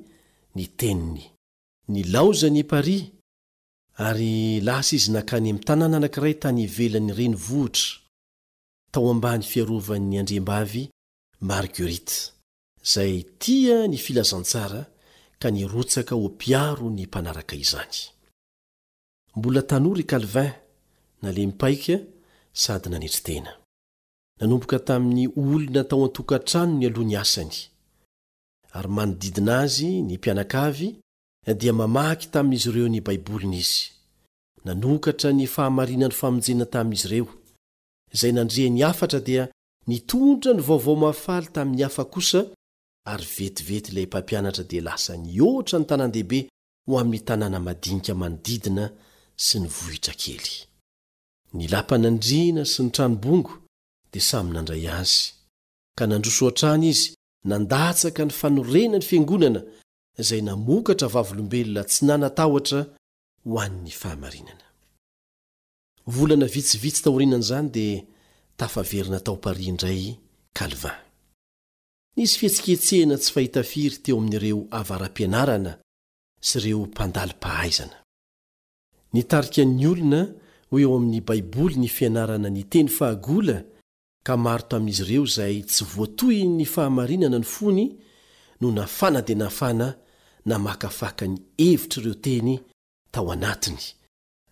ny teniny. Nilaozany i Paris, ary lasa izy nankany amin'ny tanàna anankiray tany ivelan'ny renivohitra, tao ambany fiarovan'ny andriambavy Marguerite, izay tia ny filazantsara ka nirotsaka ho mpiaro ny mpanaraka izany. Mbola tanora i Calvin, nalemy paika sady nanetry tena. Nanomboka tamin'ny olona tao an-tokantranony aloha ny asany, ary manodidina azy ny mpianakavy dia mamaky tamin'izy ireo ny Baiboliny izy. Nanokatra ny fahamarinan'ny famonjena tamin'izy ireo. Izay nandre ny hafatra dia nitondra ny vaovao mahafaly tamin'ny hafa kosa, ary vetivety ilay mpampianatra dia lasa nihoatra ny tanàn-dehibe ho amin'ny tanàna madinika manodidina sy ny vohitra kely. Ny lapan'andriana sy ny tranobongo dia samy nandray azy, ka nandroso hatrany izy nandatsaka ny fanorenan'ny fiangonana izay namokatra vavolombelona tsy nanatahotra ho an'ny fahamarinana. Volana vitsivitsy taorianan'izany dia tafaverina tao Paris indray Calvin. Nisy fihetsiketsehana tsy fahita firy teo amin'ireo avara-pianarana sy ireo mpandali-pahaizana. Nitarika ny olona ho eo amin'ny Baiboly ny fianarana ny teny fahagola, ka maro tamin'izy ireo izay tsy voatohin'ny fahamarinana ny fony no nafana dia nafana namakafaka ny hevitr'ireo teny tao anatiny,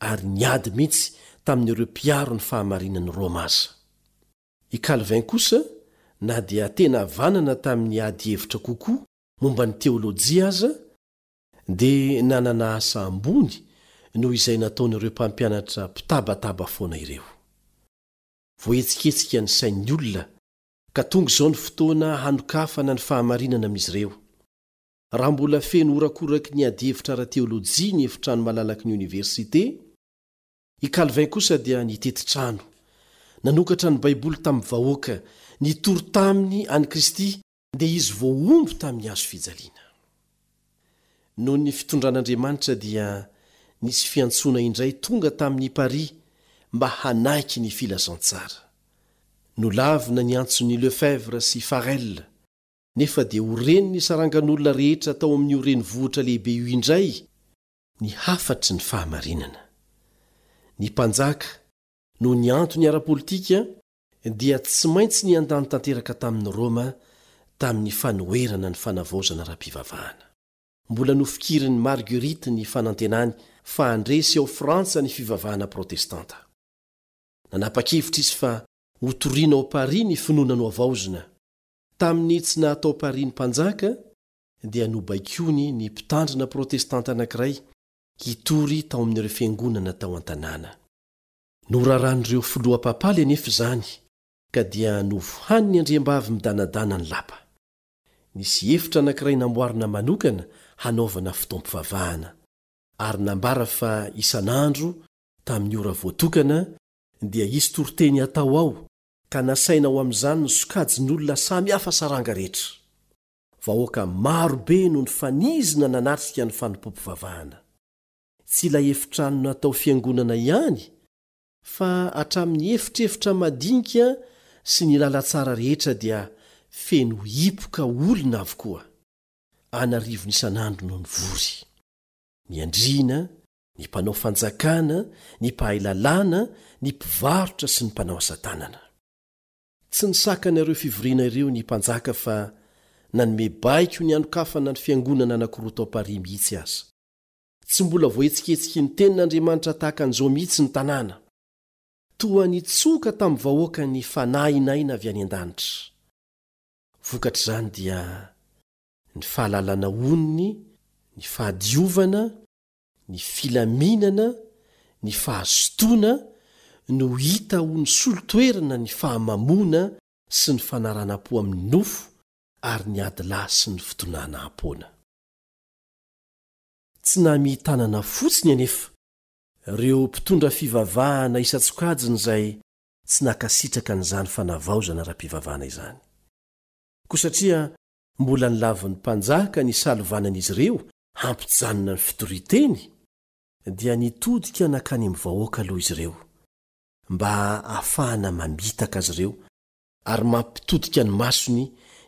ary niady mihitsy tamin'ireo mpiaro ny fahamarinan'i Roma aza. I Calvin kosa, na dia tena havanana tamin'ny ady hevitra kokoa momba ny teolojia aza, dia nanana asa ambony noho izay nataon'ireo mpampianatra mpitabataba foana ireo. Voahetsiketsika ny sain'ny olona, ka tonga izao ny fotoana hanokafana ny fahamarinana amin'izy ireo. Raha mbola feno horakoraky ny adihevitra ara-teolojia ny efitrano malalaky ny oniversite, i Calvin kosa dia nitety trano, nanokatra ny Baiboly tamin'ny vahoaka, nitory taminy an'i Kristy, dia izy voahombo tamin'ny hazo fijaliana. Noho ny fitondran'Andriamanitra dia nisy fiantsoana indray tonga tamin'i Paris mba hanaiky ny filazantsara. Nolavina ny antson'i Lefebvre sy Farel, nefa dia ho ren'ny sarangan'olona rehetra tao amin'io renivohitra lehibe io indray ny hafatry ny fahamarinana. Ny mpanjaka, noho ny antony ara-politika, dia tsy maintsy niandany tanteraka tamin'i Roma tamin'ny fanoherana ny fanavaozana ara-pivavahana. Mbola nofikirin'i Marguerite ny fanantenany fa handresy ao Frantsa ny fivavahana protestanta. Nanapa-kevitra izy fa Hotorina ao Paris ny finoana nohavaozina. Tamin'ny tsy naha-tao Paris ny mpanjaka, dia nobaikoiny ny mpitandrina protestanta anankiray hitory tao amin'ireo fiangonana tao an-tanàna. Noraran'ireo filoha papaly anefa izany, ka dia novohanin'ny andriambavy midanadana ny lapa. Nisy efitra anankiray namboarina manokana hanaovana fotoam-pivavahana, ary nambara fa isan'andro, tamin'ny ora voatokana, dia hisy toriteny hatao ao, ka nasaina ho amin'izany ny sokajin'olona samy hafa saranga rehetra. Vahoaka maro be no nifanizina nanatrika ny fanompoam-pivavahana. Tsy ilay efitrano natao fiangonana ihany, fa hatramin'ny efitrefitra madinika sy ny lalantsara rehetra dia feno hipoka olona avokoa. An'arivony isan'andro no nivory. Ny andriana, ny mpanao fanjakana, ny mpahay lalàna, ny mpivarotra sy ny mpanao asa tanana. Tsy nisakana ireo fivoriana ireo ny mpanjaka fa nanome baiko ny hanokafana ny fiangonana anankiroa tao Paris mihitsy aza. Tsy mbola voahetsiketsiky ny tenin'Andriamanitra tahaka an'izao mihitsy ny tanàna. Toa nitsoka tamin'ny vahoaka ny fanahin'aina avy any an-danitra. Vokatr'izany dia ny fahalalana onony, ny fahadiovana, ny filaminana, ny fahazotoana no hita ho nisolo toerana ny fahamamoana sy ny fanaranam-po amin'ny nofo ary ny adilahy sy ny fitonanam-poana. Tsy namihi-tanana fotsiny anefa ireo mpitondra fivavahana isan-tsokajiny izay tsy nankasitraka an'izany fanavaozana ara-pivavahana izany. Koa satria mbola nolavin'ny mpanjaka ny salovanan'izy ireo hampijanona ny fitorian-teny, dia nitodika nankany amin'ny vahoaka aloha izy ireo, mba hahafahana mamitaka azy ireo ary mampitodika ny masony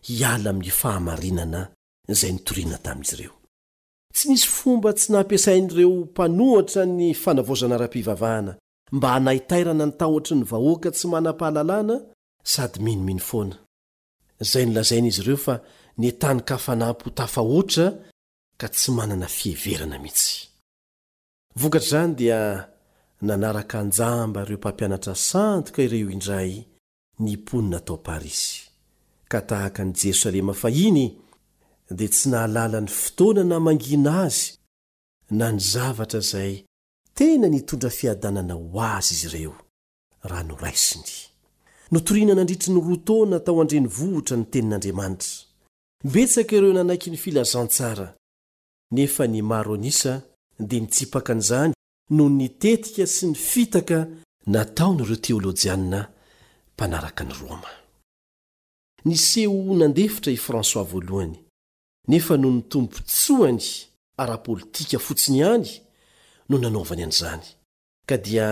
hiala amin'ny fahamarinana izay nitoriana tamin'izy ireo. Tsy nisy fomba tsy nampiasain'ireo mpanohitra ny fanavaozana ara-pivavahana mba hanaitairana ny tahotry ny vahoaka tsy manam-pahalalana sady minomino foana, izay nolazain'izy ireo fa nentanin-kafanam-po tafahoatra ka tsy manana fiheverana mihitsy. Vokatr'izany dia nanaraka an-jamba ireo mpampianatra sandoka ireo indray ny mponina tao Parisy, ka tahaka an'i Jerosalema fahiny dia tsy nahalala ny fotoana namangiana azy na ny zavatra izay tena nitondra fiadanana ho azy izy ireo raha noraisiny. Notorina nandritry ny roa taona tao an-drenivohitra ny tenin'Andriamanitra. Betsaka ireo nanaiky ny filazantsara, nefa ny maro an'isa dia nitsipaka an'izany noho ny tetika sy ny fitaka nataon'ireo teolojianina mpanaraka an'i Roma. Niseho ho nandefitra i François voalohany, nefa noho ny tombontsoany ara-politika fotsiny ihany no nanaovany an'izany, ka dia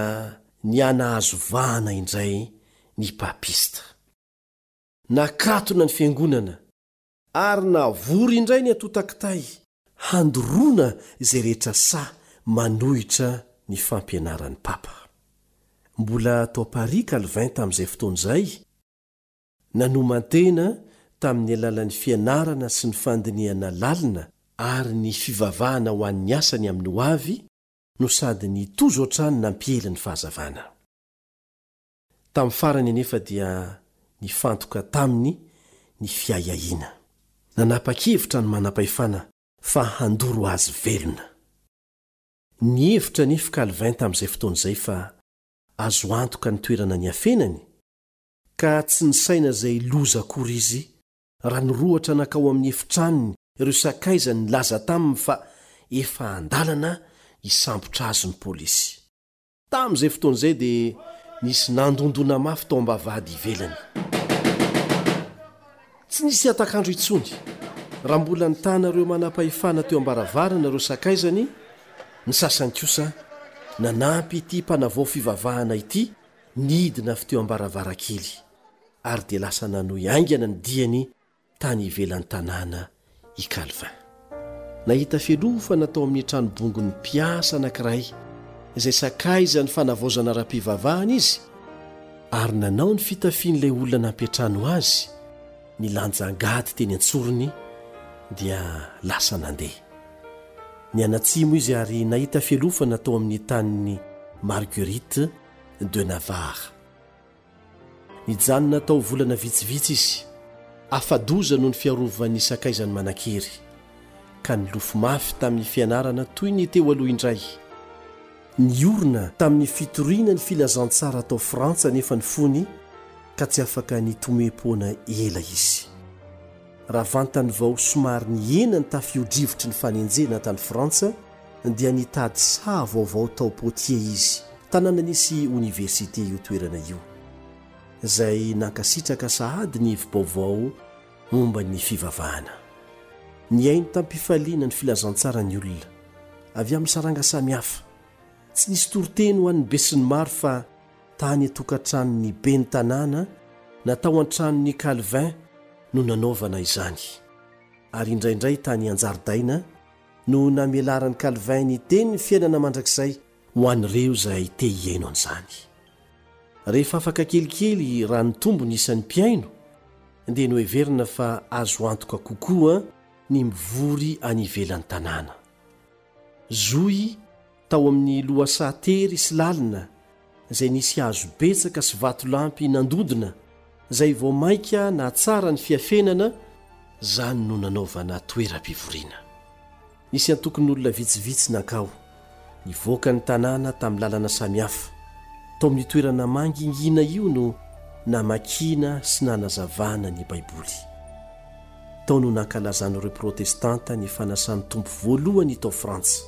nihanahazo vahana indray ny papista. Nakatona ny fiangonana ary navory indray ny antontan-kitay handoroana izay rehetra sahy manohitra ny fampianaran'ny papa. Mbola tao Paris Calvin tamin'izay fotoana izay, nanoman-tena tamin'ny alalan'ny fianarana sy ny fandinihana lalina ary ny fivavahana ho an'ny asany amin'ny hoavy no sady nitozo hatrany nampiely ny fahazavana. Tamin'ny farany anefa dia nifantoka taminy ny fiahiahiana. Nanapa-kevitra ny manam-pahefana fa handoro azy velona. Nihevitra anefa Calvin tamin'izay fotoana izay fa azo antoka ny toerana niafenany, ka tsy nisaina izay loza akory izy raha nirohotra nankao amin'ny efitranony ireo sakaizany nilaza taminy fa efa an-dalana hisambotra azy ny polisy. Tamin'izay fotoana izay dia nisy nandondona mafy tao am-bavahady ivelany. Tsy nisy hatak'andro intsony. Raha mbola nitana ireo manam-pahefana teo am-baravarana ireo sakaizany, ny sasany kosa nanampy ity mpanavao fivavahana ity nidina avy teo am-baravarankely, ary dia lasa nanohy haingana ny diany tany ivelan'ny tanàna i Calvin. Nahita fialofana tao amin'ny tranobongon'ny mpiasa anankiray izay sakaizan'ny fanavaozana ara-pivavahana izy, ary nanao ny fitafian'ilay olona nampiantrano azy ny lanjangady teny an-tsorony dia lasa nandeha. Nianatsimo izy ary nahita fialofana tao amin'ny tanin'i Marguerite de Navarre. Nijanona tao volana vitsivitsy izy, afa-doza noho ny fiarovan'ny sakaizany manan-kery, ka nilofo mafy tamin'ny fianarana toy ny teo aloha indray. Niorina tamin'ny fitoriana ny filazantsara tao Frantsa anefa ny fony, ka tsy afaka nitomoe-poana ela izy. Raha vantany vao somary nihena ny tafio-drivotry ny fanenjehana tany Frantsa, dia nitady saha vaovao tao Poitiers izy, tanàna nisy oniversite io toerana io, izay nankasitraka sahady ny hevi-baovao momba ny fivavahana. Nihaino tamim-pifaliana ny filazantsara ny olona, avy amin'ny saranga samihafa. Tsy nisy toriteny ho an'ny besinimaro fa tany an-tokantranon'ny ben'ny tanàna na tao an-tranon'i Calvin no nanaovana izany, ary indraindray tany an-jaridaina no namelaran'i Calvin ny tenin'ny fiainana mandrakizay ho an'ireo izay te hihaino an'izany. Rehefa afaka kelikely raha nitombo ny isan'ny mpihaino, dia noheverina fa azo antoka kokoa ny mivory any ivelan'ny tanàna. Zohy tao amin'ny lohasaha tery sy lalina izay nisy hazo betsaka sy vatolampy nandodona, izay vao mainka nahatsara ny fiafenana, izany no nanaovana toeram-pivoriana. Nisy antokon'olona vitsivitsy nankao, nivoaka ny tanàna tamin'ny lalana samihafa. Tao amin'io toerana mangingina io no namakiana sy nanazavana ny Baiboly. Tao no nankalazan'ireo Protestanta ny fanasan'ny Tompo voalohany tao Frantsa.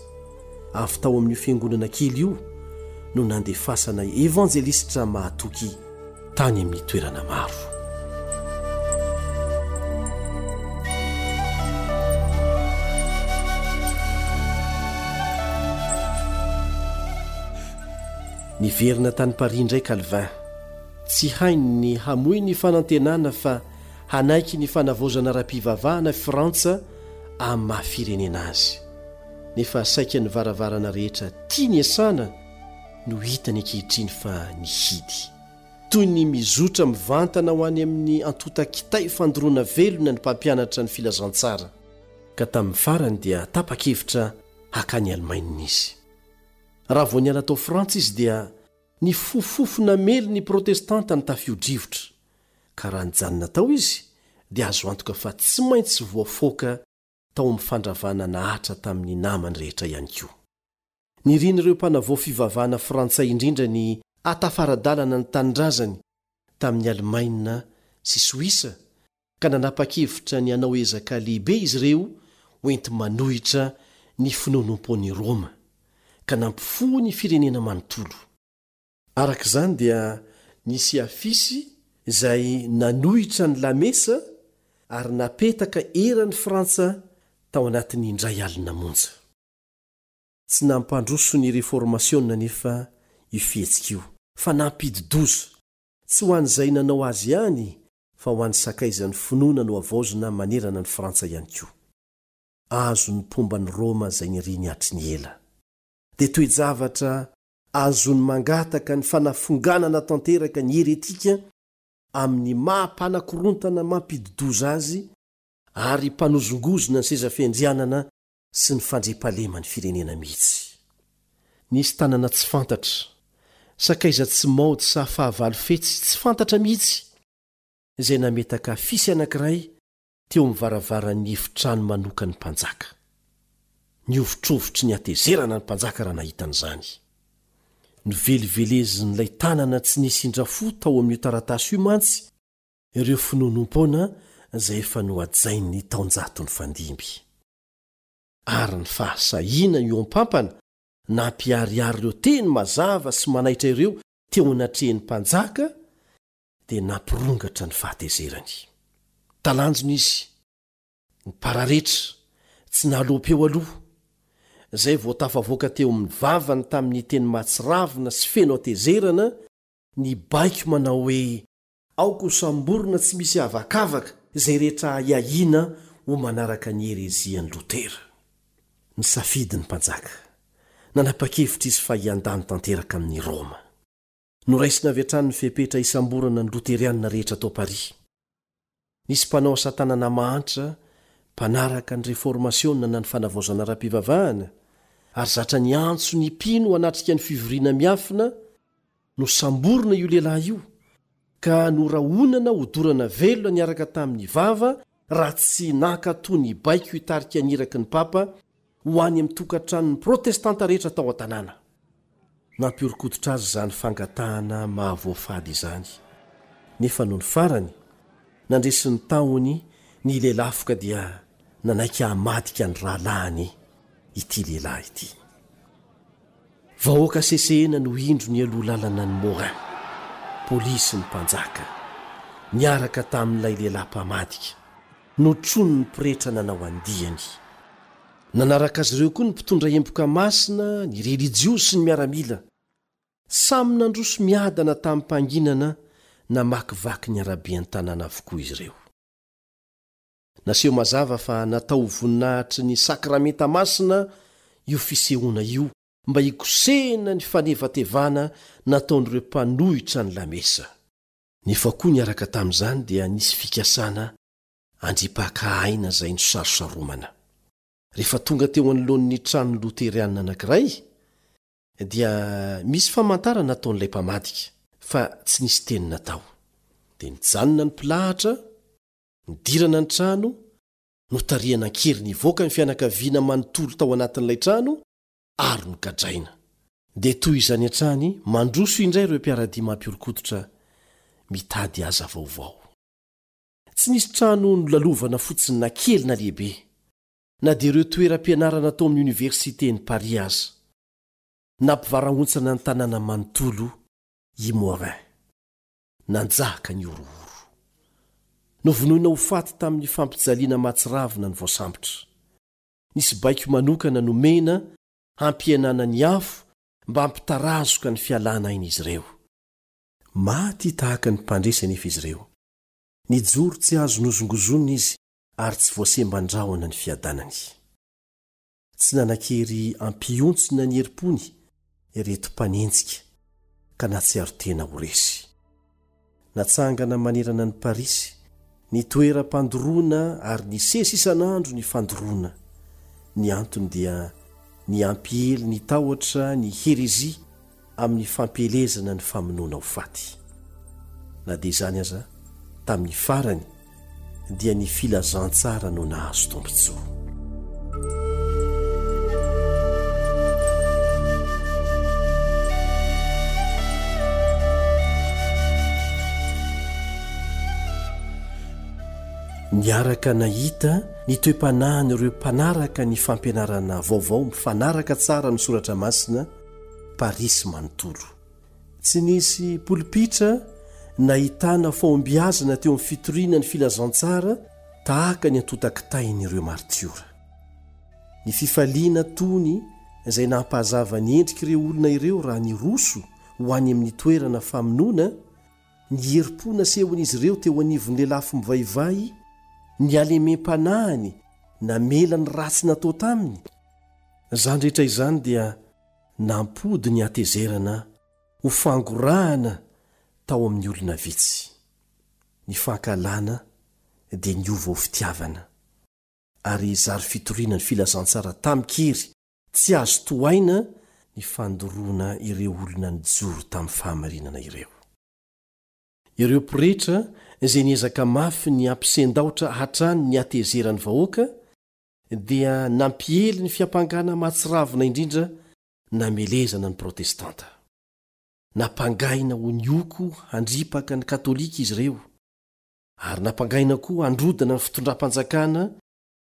Avy tao amin'io fiangonana kely io no nandefasana evanjelistra mahatoky tany amin'ny toerana maro. Niverina tany Paris indray Calvin. Tsy hainy ny hamoy ny fanantenana fa hanaiky ny fanavaozana ara-pivavahana Frantsa amin'ny maha firenena azy. Nefa saika ny varavarana rehetra tiany hiasana no hitany ankehitriny fa nihidy. Toy ny mizotra mivantana ho any amin'ny antontan-kitay fandoroana velona ny mpampianatra ny filazantsara, ka tamin'ny farany dia tapa-kevitra hakany Alemaina izy. Raha vao niala tao Frantsa izy dia nifofofofo namely ny Protestanta ny tafio-drivotra, ka raha nijanona tao izy dia azo antoka fa tsy maintsy voafoaka tao amin'ny fandravana nahatra tamin'ny namany rehetra ihany koa. Nirian'ireo mpanavao fivavahana frantsay indrindra ny hatafara-dalana ny tanindrazany tamin'ny Alemaina sy Soisa, ka nanapa-kevitra ny hanao ezaka lehibe izy ireo hoenti-manohitra ny finoanoam-poan'i Roma, ka nampifoha ny firenena manontolo. Araka izany dia nisy afisy izay nanohitra ny lamesa ary napetaka eran'i Frantsa tao anatin'ny indray alina monja. Tsy nampandroso ny Reformasiona anefa io fihetsika io, fa nampidi-doza, tsy ho an'izay nanao azy ihany fa ho an'ny sakaizan'ny finoana nohavaozina manerana ny Frantsa ihany koa. Azon'ny mpomban'i Roma izay niriny hatry ny ela. Dia toe-javatra azony mangataka ny fanafonganana tanteraka ny heretika amin'ny maha mpanakorontana mampidi-doza azy ary mpanozongozona ny seza fiandrianana sy ny fandriampahaleman'ny firenena mihitsy. Nisy tanana tsy fantatra, sakaiza tsy maody sa fahavalo fetsy tsy fantatra mihitsy, izay nametaka afisy anankiray teo amin'ny varavaran'ny efitrano manokan'ny mpanjaka. Nihovitrovitry ny hatezerana ny mpanjaka raha nahita an'izany. Novelivelezin'ilay tanana tsy nisy indrafo tao amin'io taratasy io mantsy ireo finoanoam-poana izay efa nohajain'ny taonjato nifandimby. Ary ny fahasahiana ioam-pampana nampiharihary ireo teny mazava sy manaitra ireo teo anatrehan'ny mpanjaka dia nampirongatra ny fahatezerany. Talanjona izy, nipararetra, tsy nahaloam-peo aloha, izay vao tafavoaka teo amin'ny vavany tamin'ny teny mahatsiravina sy feno hatezerana ny baiko manao hoe aoka ho samborina tsy misy avakavaka izay rehetra ahiahiana ho manaraka ny herezian'i Lotera. Nisafidy ny mpanjaka. Nanapa-kevitra izy fa hiandany tanteraka amin'i Roma. Noraisina avy hatrany ny fepetra hisamborana ny Loterianina rehetra tao Paris. Nisy mpanao asa tanana mahantra, mpanaraka ny Reformasiona na ny fanavaozana ara-pivavahana, ary zatra niantso ny mpino hanatrika ny fivoriana miafina, nosamborina io lehilahy io, ka norahonana hodorana velona niaraka tamin'ny vava raha tsy nankatò ny baiko hitarika ny iraky ny papa ho any amin'ny tokantranon'ny protestanta rehetra tao an-tanàna. Nampihoron-koditra azy izany fangatahana mahavoafady izany. Nefa nony farany, nandresy ny tahony ny lelafoka dia nanaiky hamadika ny rahalahiny ity lehilahy ity. Vahoaka sesehena no indro nialoha lalana ny Morin, polisy ny mpanjaka, niaraka tamin'ilay lehilahy mpamadika, notronin'ny pretra nanao andiany. Nanaraka azy ireo koa ny mpitondra emboka masina, ny relijiozy sy ny miaramila. Samy nandroso miadana tamim-panginana namakivaky ny araben'ny tanàna avokoa izy ireo. Naseho mazava fa natao ho voninahitry ny sakramenta masina io fisehoana io mba hikosehana ny fanevatevana nataon'ireo mpanohitra ny lamesa. Nefa koa niaraka tamin'izany dia nisy fikasana handripaka aina izay nosarosaromana. Rehefa tonga teo anoloan'ny trano loterianina anankiray dia misy famantarana nataon'ilay mpamadika fa tsy nisy teny natao. Dia nijanona ny mpilahatra, nidirana ny trano, notarihana an-kery nivoaka ny fianakaviana manontolo tao anatin'ilay trano ary nogadraina. Dia toy izany hatrany mandroso indray ireo mpiara-dia mampihoron-koditra mitady aza vaovao. Tsy nisy trano nolalovana fotsiny na kely na lehibe, na dia ireo toeram-pianarana tao amin'ny oniversiten'i Paris aza. Nampivarahontsana ny tanàna manontolo i Morin. Nanjaka ny horohoro. Novonoina ho faty tamin'ny fampijaliana mahatsiravina ny voasambotra. Nisy baiko manokana nomena hampihenana ny afo mba hampitarazoka ny fialana ain'izy ireo. Maty tahaka ny mpandresy anefa izy ireo. Nijoro tsy azo nozongozonina izy ary tsy voasemban-drahona ny fiadanany. Tsy nanan-kery hampihontsona ny herim-pony ireto mpanenjika ka nahatsiaro tena ho resy. Natsangana manerana ny Parisy ny toeram-pandoroana ary nisesy isan'andro ny fandoroana. Ny antony dia ny hampiely ny tahotra ny herezia amin'ny fampielezana ny famonoana ho faty. Na dia izany aza, tamin'ny farany dia ny filazantsara no nahazo tombontsoa. Niaraka nahita ny toe-panahin'ireo mpanaraka ny fampianarana vaovao mifanaraka tsara amin'ny soratra masina Parisy manontolo. Tsy nisy polipitra nahitana fahombiazana teo amin'ny fitoriana ny filazantsara tahaka ny antontan-kitain'ireo martiora. Ny fifaliana tony izay nampahazava ny endrik'ireo olona ireo raha niroso ho any amin'ny toerana famonoana, ny herim-po nasehon'izy ireo teo anivon'ny lelafo mivaivay, ny halemem-panahiny namela ny ratsy natao taminy. Izany rehetra izany dia nampody ny hatezerana ho fangorahana tao amin'ny olona vitsy. Ny fankahalana dia niova ho fitiavana, ary zary fitoriana ny filazantsara tamin-kery tsy azo tohaina ny fandoroana ireo olona nijoro tamin'ny fahamarinana ireo. Ireo pretra izay niezaka mafy ny hampisendaotra hatrany ny hatezeran'ny vahoaka dia nampiely ny fiampangana mahatsiravina indrindra namelezana ny protestanta. Nampangaina ho nioko handripaka ny katolika izy ireo, ary nampangaina koa handrodana ny fitondram-panjakana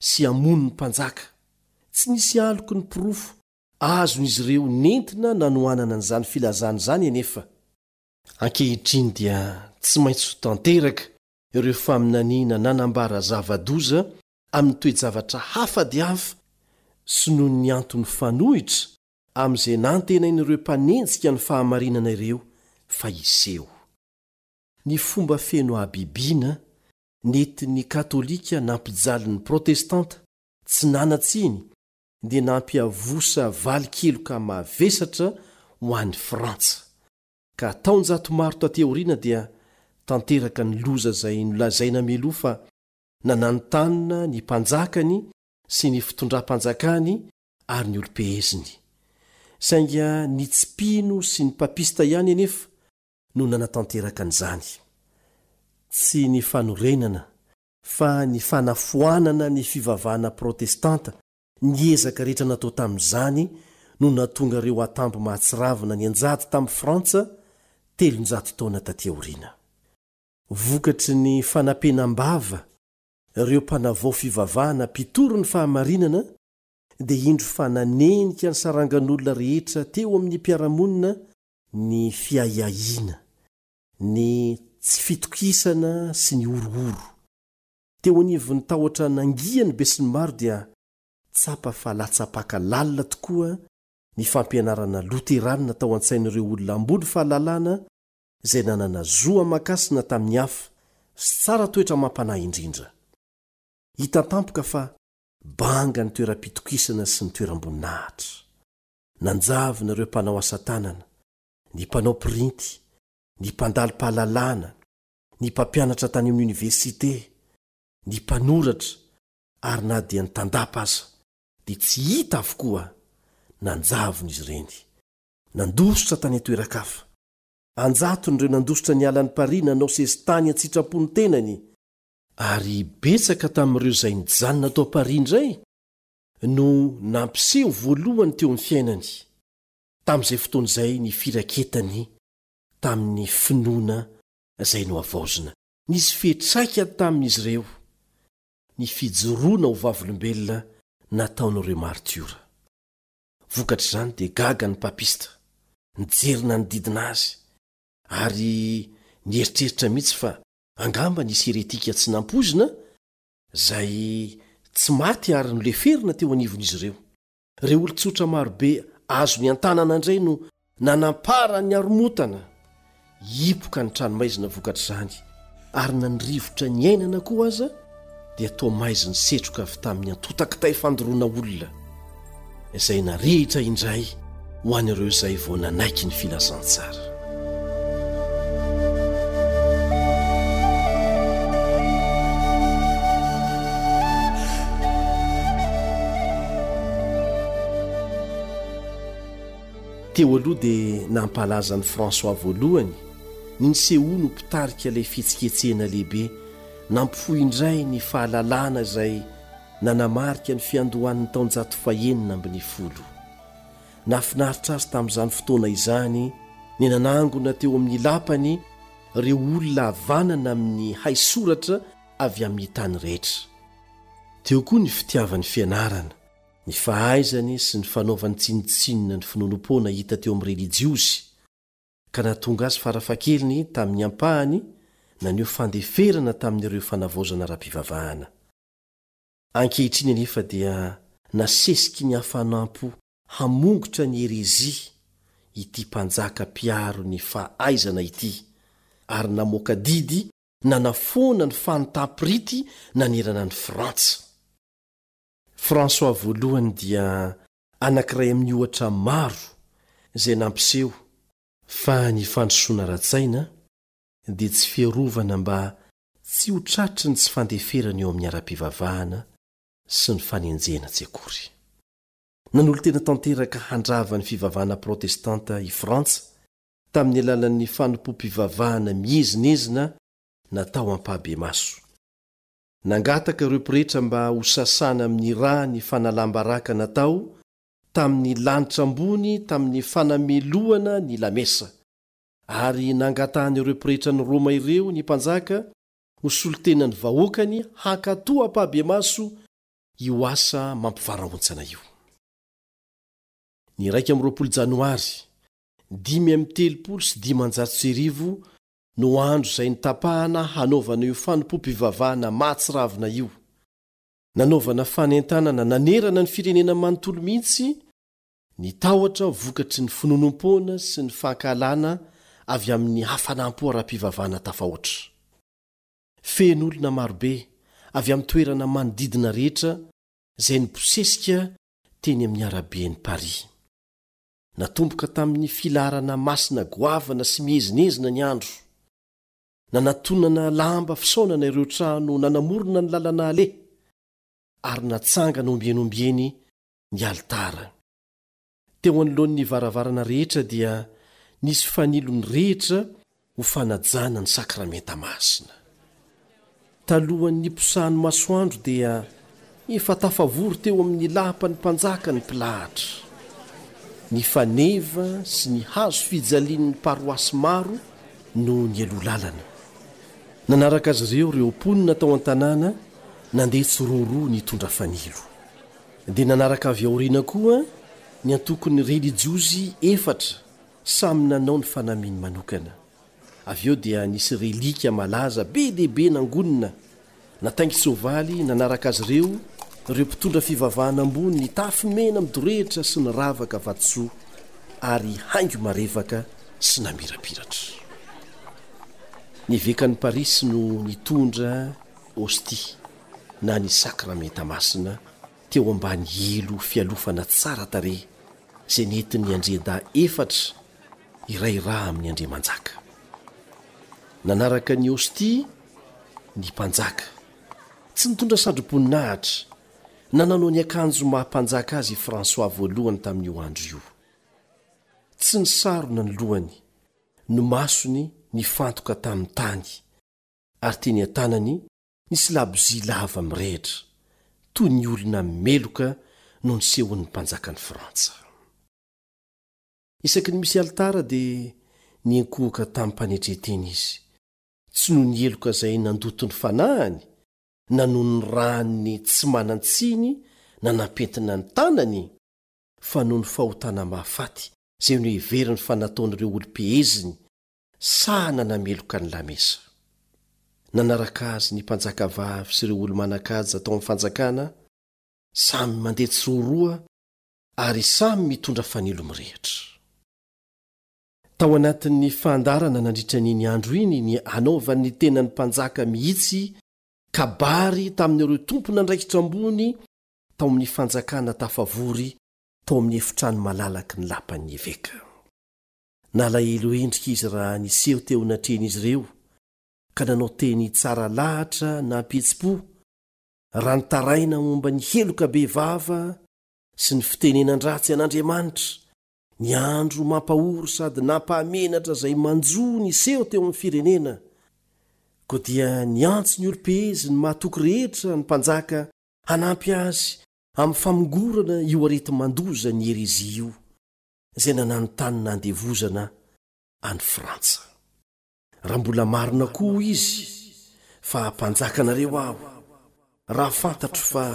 sy hamono ny mpanjaka. Tsy nisy aloky ny porofo azon'izy ireo nentina nanohanana an'izany filazana izany anefa. Ankehitriny dia tsy maintsy ho tanteraka ireo faminaniana nanambara zava-doza amin'ny toe-javatra hafa dia hafa sy noho ny antony fanohitra amin'izay nantenain'ireo mpanenjika ny fahamarinana ireo fa hiseho. Ny fomba feno habibiana nentin'ny katolika nampijaly ny protestanta tsy nanan-tsiny dia nampiavosa valin-keloka mavesatra ho an'ny Frantsa. Ka taonjato maro taty aoriana dia tanteraka ny loza izay nolazaina mialoha fa nananontanona ny mpanjakany sy ny fitondram-panjakany ary ny olom-peheziny. Saingy ny tsy mpino sy ny papista ihany anefa no nanatanteraka an'izany. Tsy ny fanorenana fa ny fanafoanana ny fivavahana protestanta ny ezaka rehetra natao tamin'izany no nahatonga ireo atambo mahatsiravina nianjady tamin'i Frantsa telonjato taona taty aoriana. Vokatry ny fanapenam-bava ireo mpanavao fivavahana mpitory ny fahamarinana dia indro fa nanenika ny sarangan'olona rehetra teo amin'ny mpiara-monina ny fiahiahiana, ny tsy fitokisana sy ny horohoro. Teo anivon'ny tahotra nangian'ny besinimaro dia tsapa fa latsa-paka lalina tokoa ny fampianarana loteranina tao an-tsain'ireo olona ambony fahalalana izay nanana zo aman-kasina tamin'ny hafa sy tsara toetra amam-panahy indrindra. Hita tampoka fa banga ny toeram-pitokisana sy ny toeram-boninahitra. Nanjavona ireo mpanao asa tanana, ny mpanao printy, ny mpandalo-pahalalana, ny mpampianatra tany amin'ny oniversite, ny mpanoratra ary na dia ny tandapa aza dia tsy hita avokoa. Nanjavona izy ireny. Nandositra tany an-toeran-kafa. Anjatony ireo nandositra niala an'i Paris nanao sesitany an-tsitrapo ny tenany, ary betsaka tamin'ireo izay nijanona tao Paris indray no nampiseho voalohany teo amin'ny fiainany tamin'izay fotoana izay ny firaketany tamin'ny finoana izay nohavaozina. Nisy fiantraikany tamin'izy ireo ny fijoroana ho vavolombelona nataon'ireo martiora. Vokatr'izany dia gaga ny papista, nijery nanodidina azy ary nieritreritra mihitsy fa angamba nisy heretika tsy nampoizina izay tsy maty ary noleferina teo anivon'izy ireo. Ireo olon-tsotra marobe azony an-tanana indray no nanamparan'ny haromotana. Hipoka ny tranomaizina vokatr'izany ary na ny rivotra niainana koa aza dia toa maizin'ny setroka avy tamin'ny antontan-kitay fandoroana olona izay narehitra indray ho an'ireo izay vao nanaiky ny filazantsara. Teo aloha dia nampalaza an'i François voalohany ny nisehoany ho mpitarika ilay fihetsiketsehana lehibe nampifoha indray ny fahalalana izay nanamarika ny fiandohan'ny taonjato fahenina ambin'ny folo. Nahafinaritra azy tamin'izany fotoana izany ny nanangona teo amin'ny lapany ireo olona havanana amin'ny haisoratra avy amin'ny tany rehetra. Teo koa ny fitiavany fianarana, ny fahaizany sy ny fanaovany tsinontsinona ny finoanoam-poana hita teo amin'ny relijiozy, ka nahatonga azy farafahakeliny tamin'ny ampahany naneho fandeferana tamin'ireo fanavaozana ara-pivavahana. Ankehitriny anefa dia nasesiky ny hafanam-po hamongotra ny herezia ity mpanjaka mpiaro ny fahaizana ity ary namoaka didy nanafoana ny fanontam-pirity nanerana an'i Frantsa. François voalohany dia anankiray amin'ny ohatra maro izay nampiseho fa ny fandrosoana ara-tsaina dia tsy fiarovana mba tsy ho tratry ny tsy fandeferana eo amin'ny ara-pivavahana sy ny fanenjehana tsy akory. Nanolo-tena tanteraka handrava ny fivavahana protestanta i Frantsa tamin'ny alalan'ny fanompoam-pivavahana miezinezina natao ampahibemaso. Nangataka ireo pretra mba ho sasana amin'ny rà ny fanalam-baraka natao tamin'ny lanitra ambony tamin'ny fanamelohana ny lamesa, ary nangatahan'ireo pretran'i Roma ireo ny mpanjaka ho solontenan'ny vahoakany hankatò ampahibemaso io asa mampivarahontsana io. Ny iraika amby roapolo janoary dimy amby telopolo sy dimanjato sy arivo no andro izay nitapahana hanaovana io fanompoam-pivavahana mahatsiravina io. Nanaovana fanentanana nanerana ny firenena manontolo mihitsy ny tahotra vokatry ny finoanoam-poana sy ny fankahalana avy amin'ny hafanam-po ara-pivavahana tafahoatra. Feno olona marobe avy amin'ny toerana manodidina rehetra izay nibosesika teny amin'ny araben'i Paris. Natomboka tamin'ny filaharana masina goavana sy miezinezina ny andro. Nanatonana lamba fisaonana ireo trano nanamorona ny lalana aleha ary natsangana ombieny ombieny ny alitara. Teo anoloan'ny varavarana rehetra dia nisy fanilo nirehitra ho fanajana ny sakramenta masina. Talohan'ny niposahan'ny masoandro dia efa tafavory teo amin'ny lapan'ny mpanjaka ny mpilahatra. Ny faneva sy ny hazo fijalian'ny paroasy maro no nialoha lalana. Nanaraka azy ireo ireo mponina tao an-tanàna nandeha tsiroaroa nitondra fanilo. Dia nanaraka avy aoriana koa ny antokon'ny relijiozy efatra samy nanao ny fanamiany manokana. Avy eo dia nisy relika malaza be dia be nangonina, nataingin-tsoavaly nanaraka azy ireo ireo mpitondra fivavahana ambony nitafy mena midorehitra sy niravaka vatosoa ary haingo marevaka sy namirapiratra. Ny evekan'i Parisy no nitondra hostia na ny sakramenta masina teo ambany elo fialofana tsara tarehy izay nentin'ny andriandahy efatra iray rà amin'ny andriamanjaka. Nanaraka ny hostia ny mpanjaka. Tsy nitondra satroboninahitra na nanao ny akanjo maha mpanjaka azy i François voalohany tamin'io andro io. Tsy nisarona ny lohany, ny masony nifantoka tamin'ny tany, ary teny an-tanany nisy labozia lava mirehitra, toy ny olona meloka no nisehoan'ny mpanjakan'i Frantsa. Isaky ny misy alitara dia niankohoka tamim-panetren-tena izy, tsy noho ny heloka izay nandoto ny fanahiny, na noho ny ràny tsy manan-tsiny nanampentina ny tanany, fa noho ny fahotana mahafaty izay noheveriny fa nataon'ireo olom-peheziny sahy nanameloka ny lamesa. Nanaraka azy ny mpanjakavavy sy ireo olo-manan-kaja tao amin'ny fanjakana, samy mandeha tsiroaroa ary samy mitondra fanilo mirehitra. Tao anatin'ny fandaharana nandritra an'iny andro iny ny hanaovan'ny tenan'ny mpanjaka mihitsy kabary tamin'ireo tompon'andraikitra ambony tao amin'ny fanjakana tafavory tao amin'ny efitrano malalaky ny lapan'ny eveka. Nalahelo endrika izy raha niseho teo anatrehan'izy ireo ka nanao teny tsara lahatra nampihetsi-po, raha nitaraina momba ny heloka bevava sy ny fitenenan-dratsy an'Andriamanitra, ny andro mampahory sady nampahamenatra izay manjo niseho teo amin'ny firenena. Koa dia niantso ny olom-peheziny mahatoky rehetra ny mpanjaka hanampy azy amin'ny famongorana io areti-mandoza ny herezia io, izay nananontanona andevozana an'i Frantsa. Raha mbola marina koa hoy izy fa mpanjakanareo aho, raha fantatro fa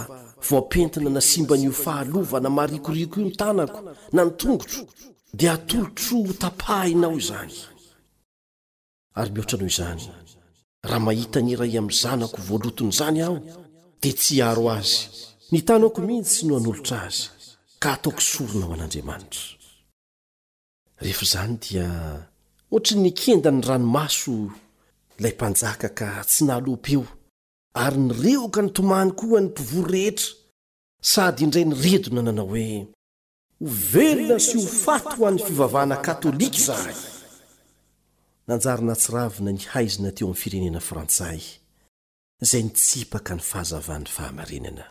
voapentina nasimban'io fahalovana marikoriko io ny tanako na ny tongotro, dia atolotro ho tapahinao izany. Ary mihoatra noho izany, raha mahita ny iray amin'ny zanako voaloton'izany aho, dia tsy hiaro azy, ny tanako mihitsy no hanolotra azy, ka hataoko sorona ho an'Andriamanitra. Rehefa izany dia ohatry ny nikenda ny ranomaso ilay mpanjaka ka tsy nahaloam-peo, ary nirehoka nitomany koa ny mpivory rehetra, sady indray niredona nanao hoe, Ho velona sy ho faty ho an'ny fivavahana katolika izahay! Nanjary nahatsiravina ny haizina teo amin'ny firenena frantsay, izay nitsipaka ny fahazavan'ny fahamarinana.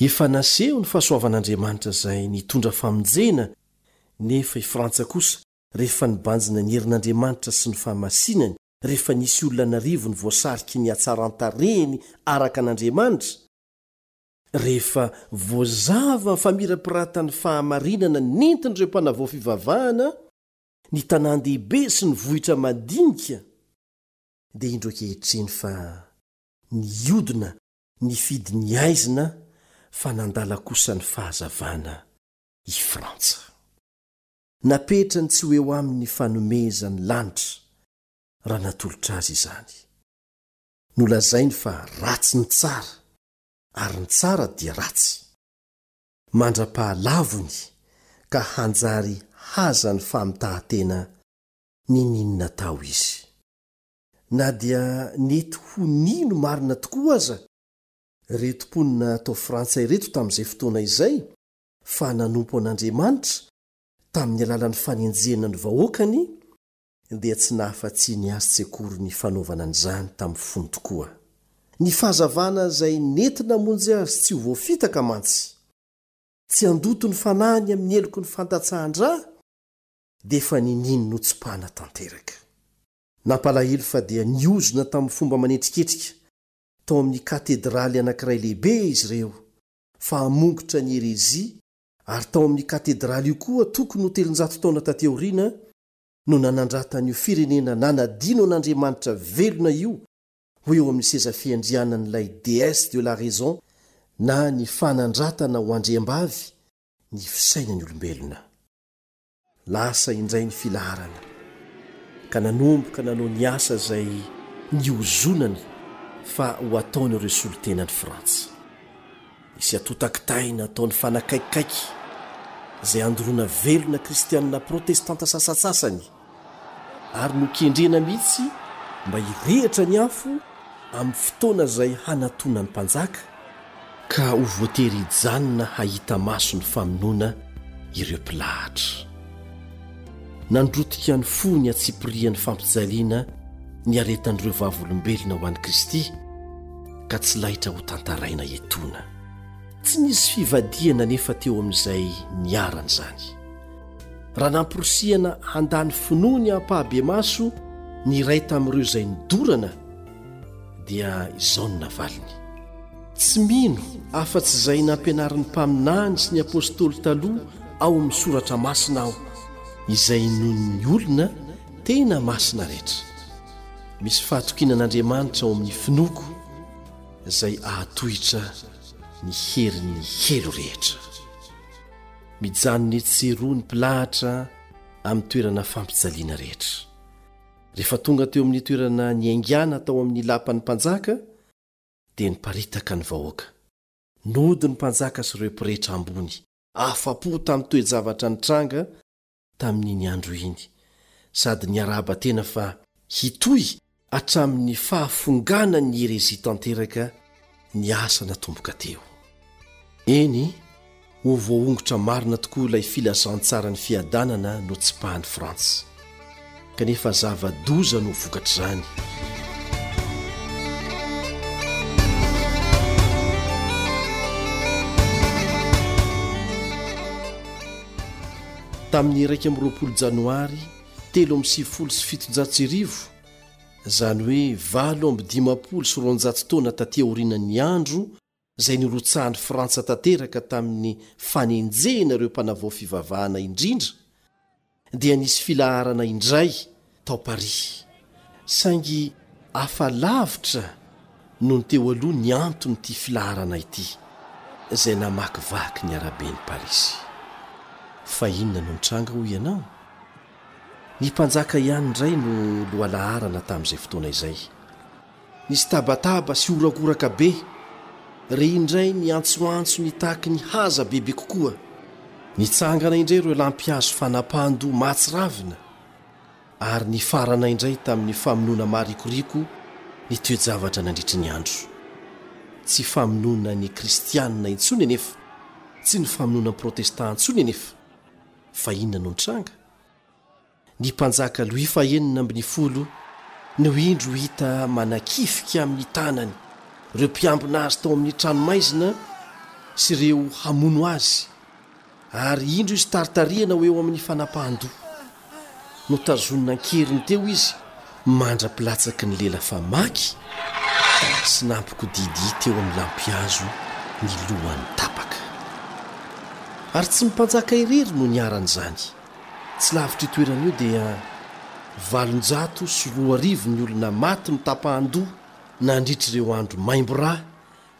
Efa naseho ny fahasoavan'Andriamanitra izay nitondra famonjena, nefa i Frantsa kosa, rehefa nibanjina ny herin'Andriamanitra sy ny fahamasinany, rehefa nisy olona an'arivony voasariky ny hatsaran-tarehiny araka an'Andriamanitra, rehefa voazava ny famirapiratan'ny fahamarinana nentin'ireo mpanavao fivavahana, ny tanàn-dehibe sy ny vohitra madinika, dia indro ankehitriny fa niodina nifidy ny haizina fa nandala kosa ny fahazavana i Frantsa. Napetrany tsy ho eo aminy ny fanomezan'ny lanitra raha natolotra azy izany. Nolazainy fa ratsy ny tsara ary ny tsara dia ratsy. Mandra-pahalavony ka hanjary haza ny famitahan-tena niniany natao izy. Na dia nety ho nino marina tokoa aza ireto mponina tao Frantsa ireto tamin'izay fotoana izay fa nanompo an'Andriamanitra tamin'ny alalan'ny fanenjehana ny vahoakany, dia tsy nahafa-tsiny azy tsy akory ny fanaovana an'izany tamin'ny fony tokoa. Ny fahazavana izay nety namonjy azy tsy ho voafitaka mantsy, tsy handoto ny fanahiny amin'ny heloky ny fandatsahan-dra, dia efa niniany notsipahana tanteraka. Nampalahelo fa dia niozona tamin'ny fomba manetriketrika tao amin'ny katedraly anankiray lehibe izy ireo fa hamongotra ny herezia, ary tao amin'ny katedraly io koa tokony ho telonjato taona taty aoriana no nanandratan'io firenena nanadino an'Andriamanitra velona io ho eo amin'ny seza fiandrianan'ilay déesse de la raison na ny fanandratana ho andriambavy ny fisainan'ny olombelona. Lasa indray ny filaharana ka nanomboka nanao ny asa izay niozonany fa ho ataon'ireo solontenan'i Frantsa. Nisy atotakitaina ataony fanakaikaiky izay andoroana velona kristianina protestanta sasantsasany ary nokendrena mihitsy mba hirehitra ny afo amin'ny fotoana izay hanatonan'ny mpanjaka ka ho voatery hijanona hahita maso ny famonoana ireo mpilahatra. Nandrotika ny fo ny antsipirian'ny fampijaliana ny aretan'ireo vavolombelona ho an'i Kristy ka tsy laitra ho tantaraina etoana. Tsy nisy fivadihana nefa teo amin'izay niharan'izany. Raha namporisihana handany finoany ampahabemaso ny iray tamin'ireo izay nidorana dia izao no navaliny: tsy mino afa-tsy izay nampianarin'ny mpaminany sy ny apôstôly taloha ao amin'ny soratra masina aho, izay inoan'ny olona tena masina rehetra. Misy fahatokiana an'Andriamanitra ao amin'ny finoako izay ahatohitra ny herin'ny helo rehetra. Mijanona etsy sy eroa ny mpilahatra amin'ny toerana fampijaliana rehetra. Rehefa tonga teo amin'ny toerana niaingàna tao amin'ny lapan'ny mpanjaka dia niparitaka ny vahoaka. Nody ny mpanjaka sy ireo pretra ambony, afa-po tamin'ny toe-javatra nitranga tamin'iny andro iny, sady niarahaba tena fa hitohy hatramin'ny fahafonganan'ny herezia tanteraka ny asa natomboka teo. Eny, ho voaongotra marina tokoa ilay filazantsaran'ny fiadanana notsipahan'i Frantsa. Kanefa zava-doza no vokatr'izany. Tamin'ny iraika amby roapolo janoary telo amby sivifolo sy fitonjato sy arivo, izany hoe valo amby dimampolo sy roanjato taona taty aorianan'ny andro izay nirotsahan'i Frantsa tanteraka tamin'ny fanenjehana ireo mpanavao fivavahana indrindra, dia nisy filaharana indray tao Paris. Saingy hafa lavitra noho ny teo aloha ny anton'ity filaharana ity, izay namakivaky ny araben'i Parisy. Fa inona no nitranga hoy ianao? Ny mpanjaka ihany indray no lohalaharana tamin'izay fotoana izay. Nisy tabataba sy horakoraka be, re indray ny antsoantso nitaky ny haza bebe kokoa. Nitsangana indray ireo lampihazo fanapahan-doha mahatsiravina ary nifarana indray tamin'ny famonoana marikoriko ny toe-javatra nandritry ny andro. Tsy famonoana ny kristianina intsony anefa, tsy ny famonoana ny protestant intsony anefa. Fa inona no nitranga? Ny mpanjaka Louis fahenina ambin'ny folo no indro hita manakifika amin'ny tanany ireo mpiambina azy tao amin'ny tranomaizina sy ireo hamono azy, ary indro izy taritarihana ho eo amin'ny fanapahan-doha. Notazonina an-keriny teo izy mandra-pilatsaky ny lela famaky sy nampikodidia teo amin'ny lampihazo ny lohany tapaka. Ary tsy ny mpanjaka irery no niharan'izany. Tsy lavitra io toerana io dia valonjato sy roa arivo ny olona maty notapahan-doha nandritra ireo andro maimbo rà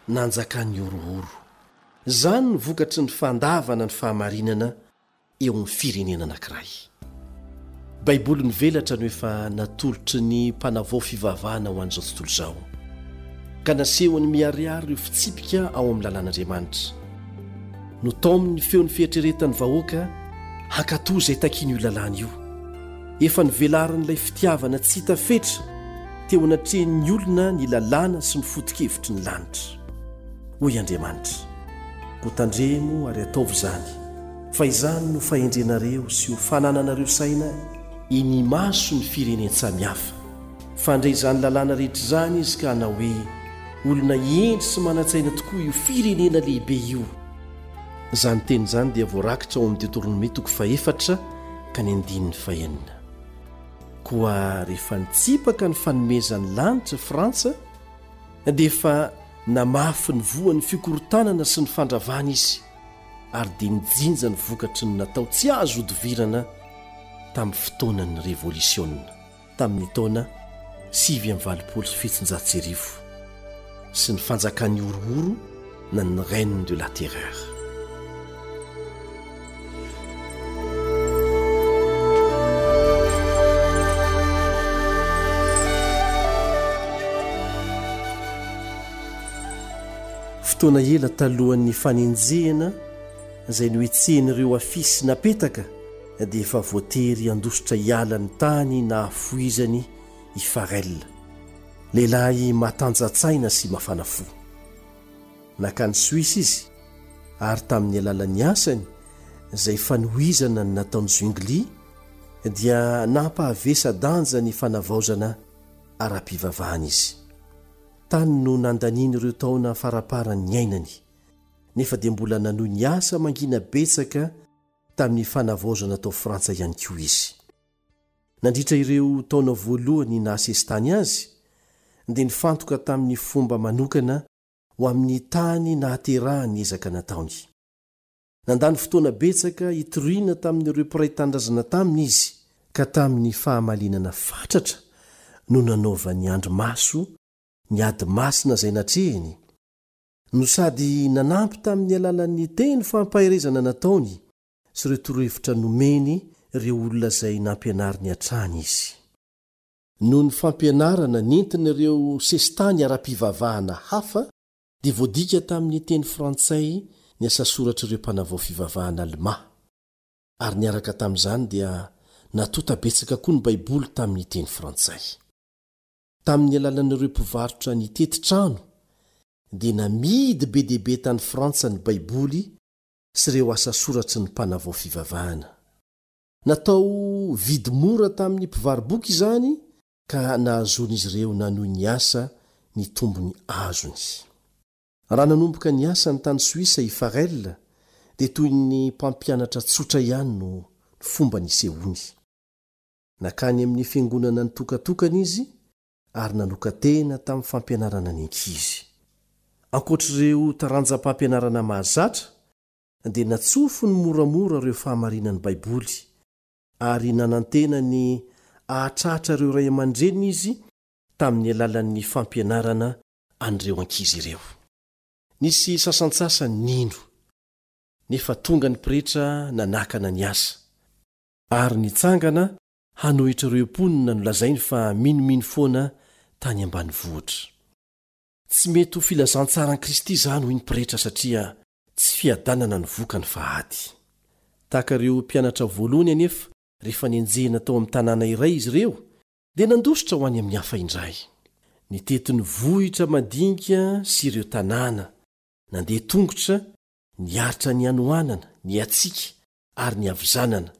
nanjakan'ny horohoro. Izany no vokatry ny fandavana ny fahamarinana eo amin'ny firenena anankiray. Baiboly mivelatra no efa natolotry ny mpanavao fivavahana ho an'izao tontolo izao, ka nasehony miharihary ireo fitsipika ao amin'ny lalàn'Andriamanitra. Notaominy ny feon'ny fieritreretan'ny vahoaka hankatò izay takian'io lalàna io. Efa nivelarin'ilay fitiavana tsy hita fetra teo anatrehan'ny olona ny lalàna sy ny foto-kevitry ny lanitra. Hoy Andriamanitra: Koa tandremo ary ataovy izany, fa izany no fahendrenareo sy ho fanananareo saina eny imason'ny firenen-tsamihafa. Fandre izany lalàna rehetra izany izy ka hanao hoe: olona hendry sy manan-tsaina tokoa io firenena lehibe io. Izany teny izany dia voarakitra ao amin'ny Deoteronomia toko fahefatra ka ny andininy fahenina. Koa rehefa nitsipaka ny fanomezan'ny lanitra Frantsa dia efa namafy ny voan'ny fikorontanana sy ny fandravana izy, ary dia nijinja ny vokatry ny natao tsy azo ihodivirana tamin'ny fotoanan'ny revolisiona tamin'ny taona sivy amby valopolo sy fitonjato sy arivo sy ny fanjakan'ny horohoro na ny règne de la terreur. Fotoana ela talohan'ny fanenjehana izay nohetsehin'ireo afisy napetaka dia efa voatery handositra hiala ny tany nahafoizany i Farel, lehilahy matanjatsaina sy mafana fo. Nankany Soisa izy ary tamin'ny alalan'ny asany izay fanohizana ny nataon'i Zwingli dia nampahavesa-danja ny fanavaozana ara-pivavahana izy. Tany no nandaniany ireo taona faraparany niainany, nefa dia mbola nanohy ny asa mangina betsaka tamin'ny fanavaozana tao Frantsa ihany koa izy. Nandritra ireo taona voalohany nahasesitany azy dia nifantoka tamin'ny fomba manokana ho amin'ny tany nahaterahany ny ezaka nataony. Nandany fotoana betsaka hitoriana tamin'ireo mpiray tanindrazana taminy izy, ka tamin'ny fahamalinana fatratra no nanaovany andrimaso ny ady masina izay natrehiny, no sady nanampy tamin'ny alalan'ny teny fampaherezana nataony sy ireo torohevitra nomeny ireo olona izay nampianariny hatrany izy. Noho ny fampianarana nentin'ireo sesitany ara-pivavahana hafa dia voadika tamin'ny teny frantsay ny asa soratr'ireo mpanavao fivavahana alemà, ary niaraka tamin'izany dia natonta betsaka koa ny Baiboly tamin'ny teny frantsay. Tamin'ny alalan'ireo mpivarotra nitety trano dia namidy be dia be tany Frantsa ny Baiboly sy ireo asa soratry ny mpanavao fivavahana. Natao vidy mora tamin'ny mpivaro-boky izany ka nahazoan'izy ireo nanohy ny asa ny tombony azony. Raha nanomboka ny asany tany Soisa i Farel dia toy ny mpampianatra tsotra ihany no fomba nisehoany. Nankany amin'ny fiangonana nitokatokana izy ary nanokan-tena tamin'ny fampianarana ny ankizy. Ankoatr'ireo taranjam-pampianarana mahazatra dia natsofony moramora ireo fahamarinan'ny Baiboly ary nanantena ny hahatratra ireo ray aman-dreniny izy tamin'ny alalan'ny fampianarana an'ireo ankizy ireo. Nisy sasantsasany nino, nefa tonga ny pretra nanakana ny asa, ary nitsangana hanohitra ireo mponina nolazainy fa minomino foana tany ambanivohitra. Tsy mety ho filazantsaran'i Kristy izany hoy ny pretra satria tsy fiadanana ny vokany fa ady. Tahaka ireo mpianatra voalohany anefa rehefa nenjehina tao amin'ny tanàna iray izy ireo dia nandositra ho any amin'ny hafa indray. Nitety ny vohitra madinika sy ireo tanàna, nandeha tongotra, niaritra ny hanoanana, ny hatsiaka ary ny havizanana,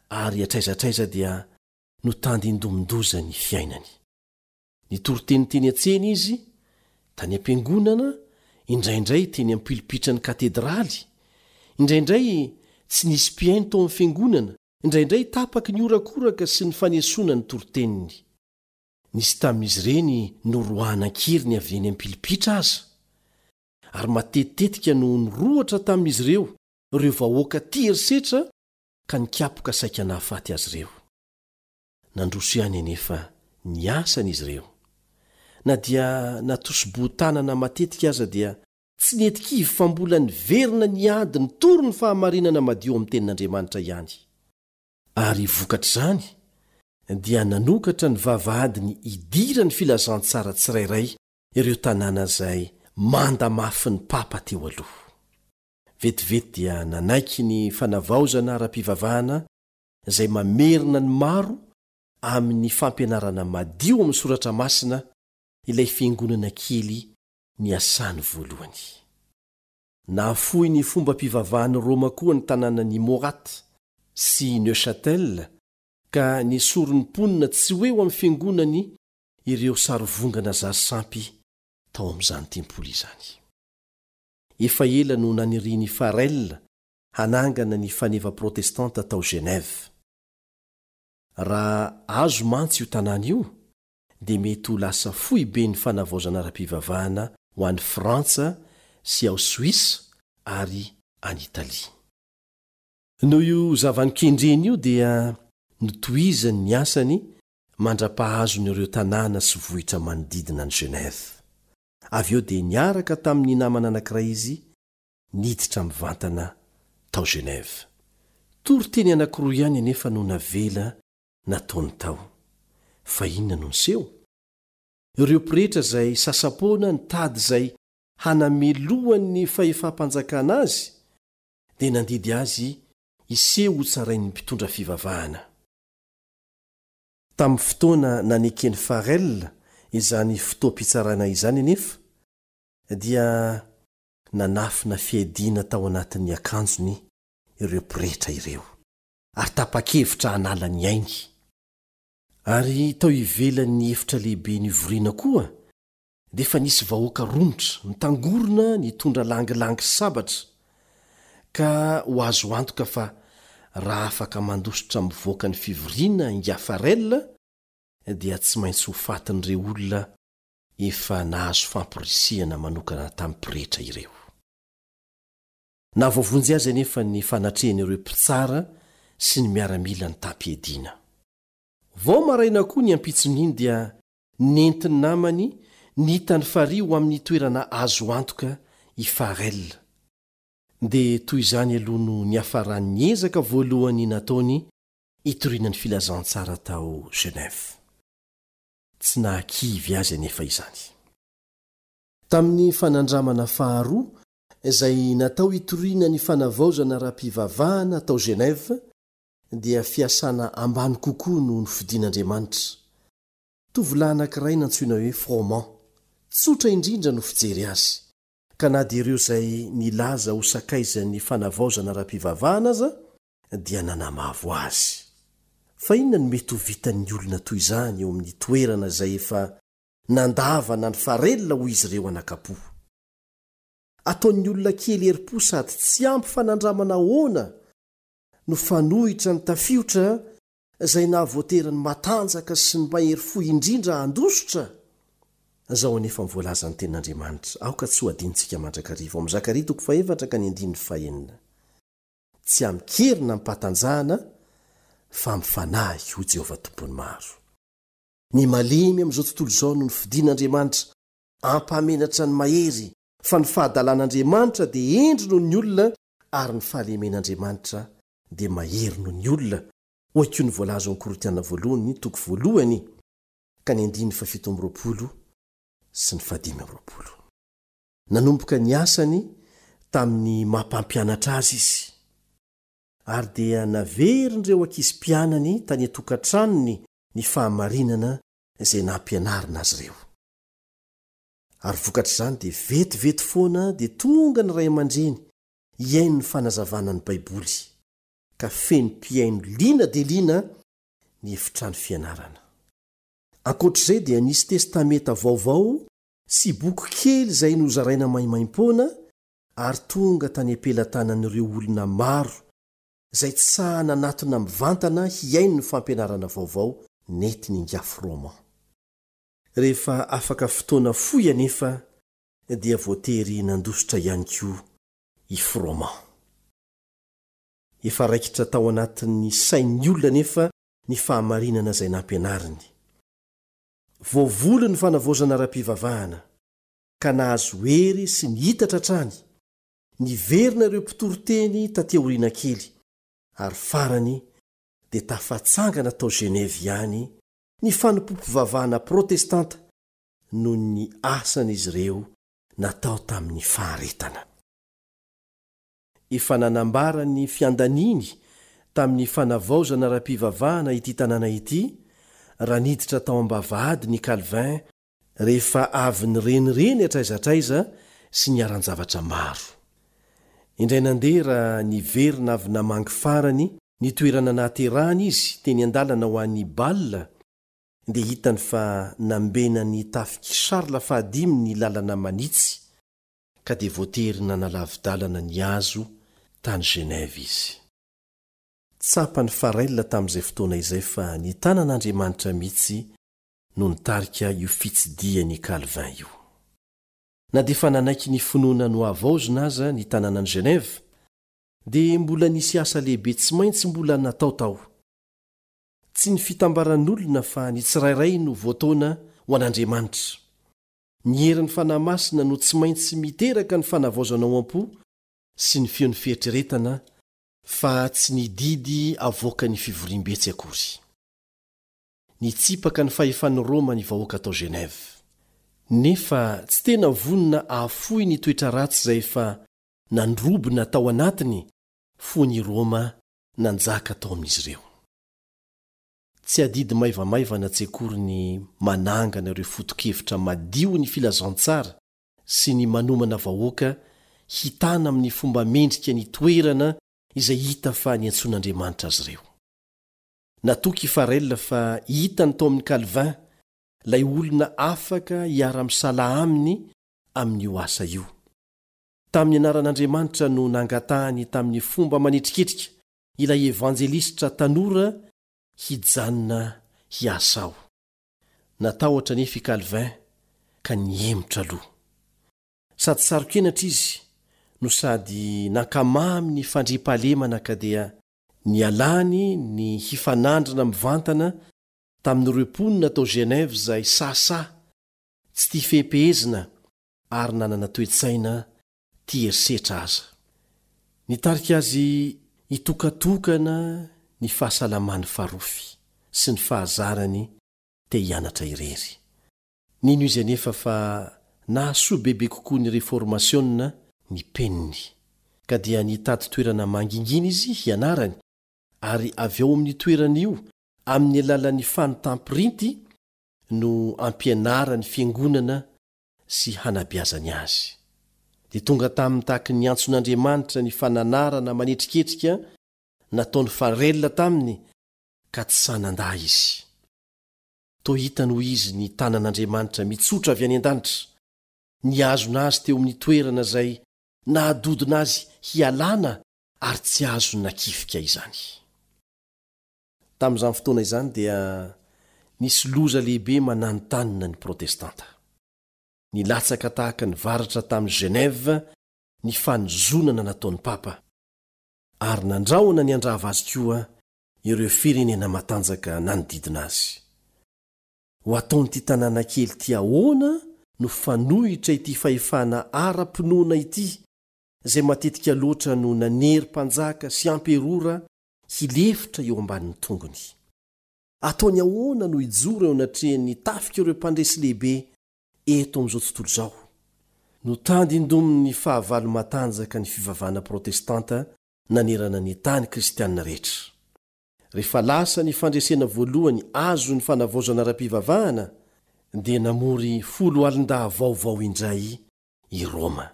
ary hatraiza hatraiza dia notandindomin-doza ny fiainany. Nitory teny teny an-tsena izy, tany am-piangonana, indraindray teny am-pilipitran'ny katedraly, indraindray tsy nisy mpihaino tao amin'ny fiangonana, indraindray tapaky ny horakoraka sy ny fanesoana ny toriteniny. Nisy tamin'izy ireny noroahana an-keriny avy eny am-pilipitra aza, ary matetitetika no nirohotra tamin'izy ireo ireo vahoaka tia herisetra ka nikapoka saika nahafaty azy ireo. Nandroso ihany anefa ny asan'izy ireo. Na dia natosi-bohon-tanana matetika aza dia tsy nety kivy fa mbola niverina niady nitory ny fahamarinana madio amin'ny tenin'Andriamanitra ihany. Ary vokatr'izany dia nanokatra ny vavahadiny hidiran'ny filazantsara tsirairay ireo tanàna izay manda mafy ny papa teo aloha. Vetivety dia nanaiky ny fanavaozana ara-pivavahana izay mamerina ny maro amin'ny fampianarana madio amin'ny soratra masina ilay fiangonana kely niasany voalohany. Nahafoy ny fombam-pivavahan'i Roma koa ny tanànan'i Morat sy Neuchâtel ka nesorin'ny mponina tsy ho eo amin'ny fiangonany ireo sarivongana zary sampy tao amin'izany tempoly izany. Efa ela no nanirian'i Farel hanangana ny faneva protestanta tao Genève. Raha azo mantsy io tanàna io dia mety ho lasa foiben'ny fanavaozana ara-pivavahana ho any Frantsa sy ao Soisa ary any Italia. Noho io zava-nokendreny io dia notohizany ny asany mandra-pahazony ireo tanàna sy vohitra manodidina an'i Genève. Avy eo dia niaraka tamin'ny namana anankiray izy niditra mivantana tao Genève. Toriteny anankiroa ihany anefa no navela nataony tao. Fa inona no niseho? Ireo pretra izay sasa-poana nitady izay hanamelohan'ny fahefam-panjakana azy dia nandidy azy hiseho ho tsarain'ny mpitondra fivavahana. Tamin'ny fotoana naneken'i Farel izany fotoam-pitsarana izany anefa dia nanafina fiadiana tao anatin'ny akanjony ireo pretra ireo ary tapa-kevitra hanala ny ainy. Ary tao ivelan'ny efitra lehibe nivoriana koa dia efa nisy vahoaka romotra mitangorona nitondra langilangy sabatra, ka ho azo antoka fa raha afaka mandositra mivoaka ny fivoriana ingahy Farel dia tsy maintsy ho fatin'ireo olona efa nahazo famporisihana manokana tamin'ny pretra ireo. Nahavoavonjy azy anefa ny fanatrehan'ireo mpitsara sy ny miaramila nitam-piadiana. Vao maraina koa ny ampitson'iny dia nentin'ny namany nitany farihy ho amin'ny toerana azo antoka i Farel. Dia toy izany aloha no niafaran'ny ezaka voalohany nataony hitoriana ny filazantsara tao Genève. Tsy nahakivy azy anefa izany. Tamin'ny fanandramana faharoa izay natao hitoriana ny fanavaozana ara-pivavahana tao Genève dia fiasana ambany kokoa no nofidin'Andriamanitra. Tovolahy anankiray nantsoina hoe Froment, tsotra indrindra no fijery azy, ka na dia ireo izay nilaza ho sakaizan'ny fanavaozana ara-pivavahana aza dia nanamavo azy. Fa inona no mety ho vitan'ny olona toy izany eo amin'ny toerana izay efa nandavana ny Farel ho izy ireo anakapo? Ataon'ny olona kely herim-po sady tsy ampy fanandramana ahoana no fanohitra ny tafiotra izay nahavoatery ny matanjaka sy ny mahery fo indrindra handositra? Izao anefa ny voalazan'ny tenin'Andriamanitra, aoka tsy ho adinontsika mandrakariva, ao amin'ny Zakaria toko fahefatra ka ny andininy fahenina. Tsy amin-kery na amim-pahatanjahana fa amin'ny fanahy, hoy Jehovah Tompon'ny maro. Ny malemy amin'izao tontolo izao no nofidin'Andriamanitra hampamenatra ny mahery, fa ny fahadalan'Andriamanitra dia hendry noho ny olona ary ny fahalemen'Andriamanitra dia mahery noho ny olona, hoy koa ny voalaza ao amin'ny Korintiana voalohany toko voalohany ka ny andininy fahafito amby roapolo sy ny fahadimy amby roapolo. Nanomboka ny asany tamin'ny maha-mpampianatra azy izy, ary dia naverin'ireo ankizy mpianany tany an-tokantranony ny fahamarinana izay nampianarina azy ireo. Ary vokatr'izany dia vetivety foana dia tonga ny ray aman-dreny hihaino ny fanazavana ny Baiboly, ka feno mpihaino liana dia liana ny efitrano fianarana. Ankoatr'izay dia nisy testamenta vaovao sy boky kely izay nozaraina maimaimpoana ary tonga tany am-pelatanan'ireo olona maro izay tsy sahy nanatona mivantana hihaino ny fampianarana vaovao nentin'i ingahy Froment. Rehefa afaka fotoana fohy anefa dia voatery nandositra ihany koa i Froment. Efa raikitra tao anatin'ny sain'ny olona anefa ny fahamarinana izay nampianariny. Voavoly ny fanavaozana ara-pivavahana ka nahazo hery sy nihitatra hatrany, niverina ireo mpitoriteny taty aoriana kely, ary farany dia tafatsangana tao Genève ihany ny fanompoam-pivavahana protestanta noho ny asan'izy ireo natao tamin'ny faharetana. Efa nanambara ny fiandaniny tamin'ny fanavaozana ara-pivavahana ity tanàna ity raha niditra tao am-bavahady ny Calvin rehefa avy nirenireny hatraiza hatraiza sy niharan-javatra maro. Indray nandeha raha niverina avy namangy farany ny toerana nahaterahany izy teny an-dalana ho any Bâle, dia hitany fa nambenan'ny tafik'i Charles fahadimy ny lalana manitsy, ka dia voatery nanalavi-dalana ny hazo tany Genève izy. Tsapan'i Farel tamin'izay fotoana izay fa ny tanan'Andriamanitra mihitsy no nitarika io fitsidihan'i Calvin io. Na dia efa nanaiky ny finoana nohavaozina aza ny tanànan'i Genève, dia mbola nisy asa lehibe tsy maintsy mbola natao tao. Tsy ny fitambaran'olona fa ny tsirairay no voataona ho an'Andriamanitra. Ny herin'ny Fanahy Masina no tsy maintsy miteraka ny fanavaozana ao am-po sy ny feon'ny fieritreretana fa tsy ny didy avoakan'ny fivoriambe tsy akory. Nitsipaka ny fahefan'i Roma ny vahoaka tao Genève. Nefa tsy tena vonona hahafoy ny toetra ratsy izay efa nandrobona tao anatiny fony i Roma nanjaka tao amin'izy ireo. Tsy adidy maivamaivana tsy akory ny manangana ireo foto-kevitra madio ny filazantsara sy ny manomana vahoaka hitana amin'ny fomba mendrika ny toerana izay hita fa niantsoan'Andriamanitra azy ireo. Natoky i Farel fa hitany tao amin'i Calvin ilay olona afaka hiara-misalahy aminy amin'io asa io. Tamin'ny anaran'Andriamanitra no nangatahany tamin'ny fomba manetriketrika ilay evanjelistra tanora hijanona hiasa ao. Natahotra anefa i Calvin ka nihemotra aloha. Sady saro-kenatra izy no sady nankamamy ny fandriampahalemana ka dia nialany ny hifanandrina mivantana tamin'ireo mponina tao Genève izay sahisahy, tsy tia fehipehezina ary nanana toe-tsaina tia herisetra aza. Nitarika azy hitokatokana ny fahasalamany farofy sy ny fahazarany te hianatra irery. Nino izy anefa fa nahasoa bebe kokoa ny reformasiona ny peniny, ka dia nitady toerana mangingina izy hianarany, ary avy ao amin'io toerana io amin'ny alalan'ny fanontam-printy no ampianarany fiangonana sy hanabeazany azy. Dia tonga taminy tahaky ny antson'Andriamanitra ny fananarana manetriketrika nataon'i Farel taminy ka tsy sahy nandà izy. Toa hitany hoy izy ny tanan'Andriamanitra mitsotra avy any an-danitra, nihazona azy teo amin'ny toerana izay nahadodona azy hialana ary tsy azo nakifika izany. Tamin'izany fotoana izany dia nisy loza lehibe mananontanona ny protestanta. Nilatsaka tahaka ny varatra tamin'i Genève ny fanozonana nataon'ny papa, ary nandrahona ny handrava azy koa ireo firenena matanjaka nanodidina azy. Ho ataon'ity tanàna kely ity ahoana no fanohitra ity fahefana ara-pinoana ity, izay matetika loatra no nanery mpanjaka sy amperora hilefitra eo ambanin'ny tongony. Ataony ahoana no hijoro eo anatrehan'ny tafika ireo mpandresy lehibe eto amin'izao tontolo izao? Notandindomin'ny fahavalo matanjaka ny fivavahana protestanta nanerana ny tany kristianina rehetra. Rehefa lasa ny fandresena voalohany azon'ny fanavaozana ara-pivavahana, dia namory folo alin-dahy vaovao indray i Roma,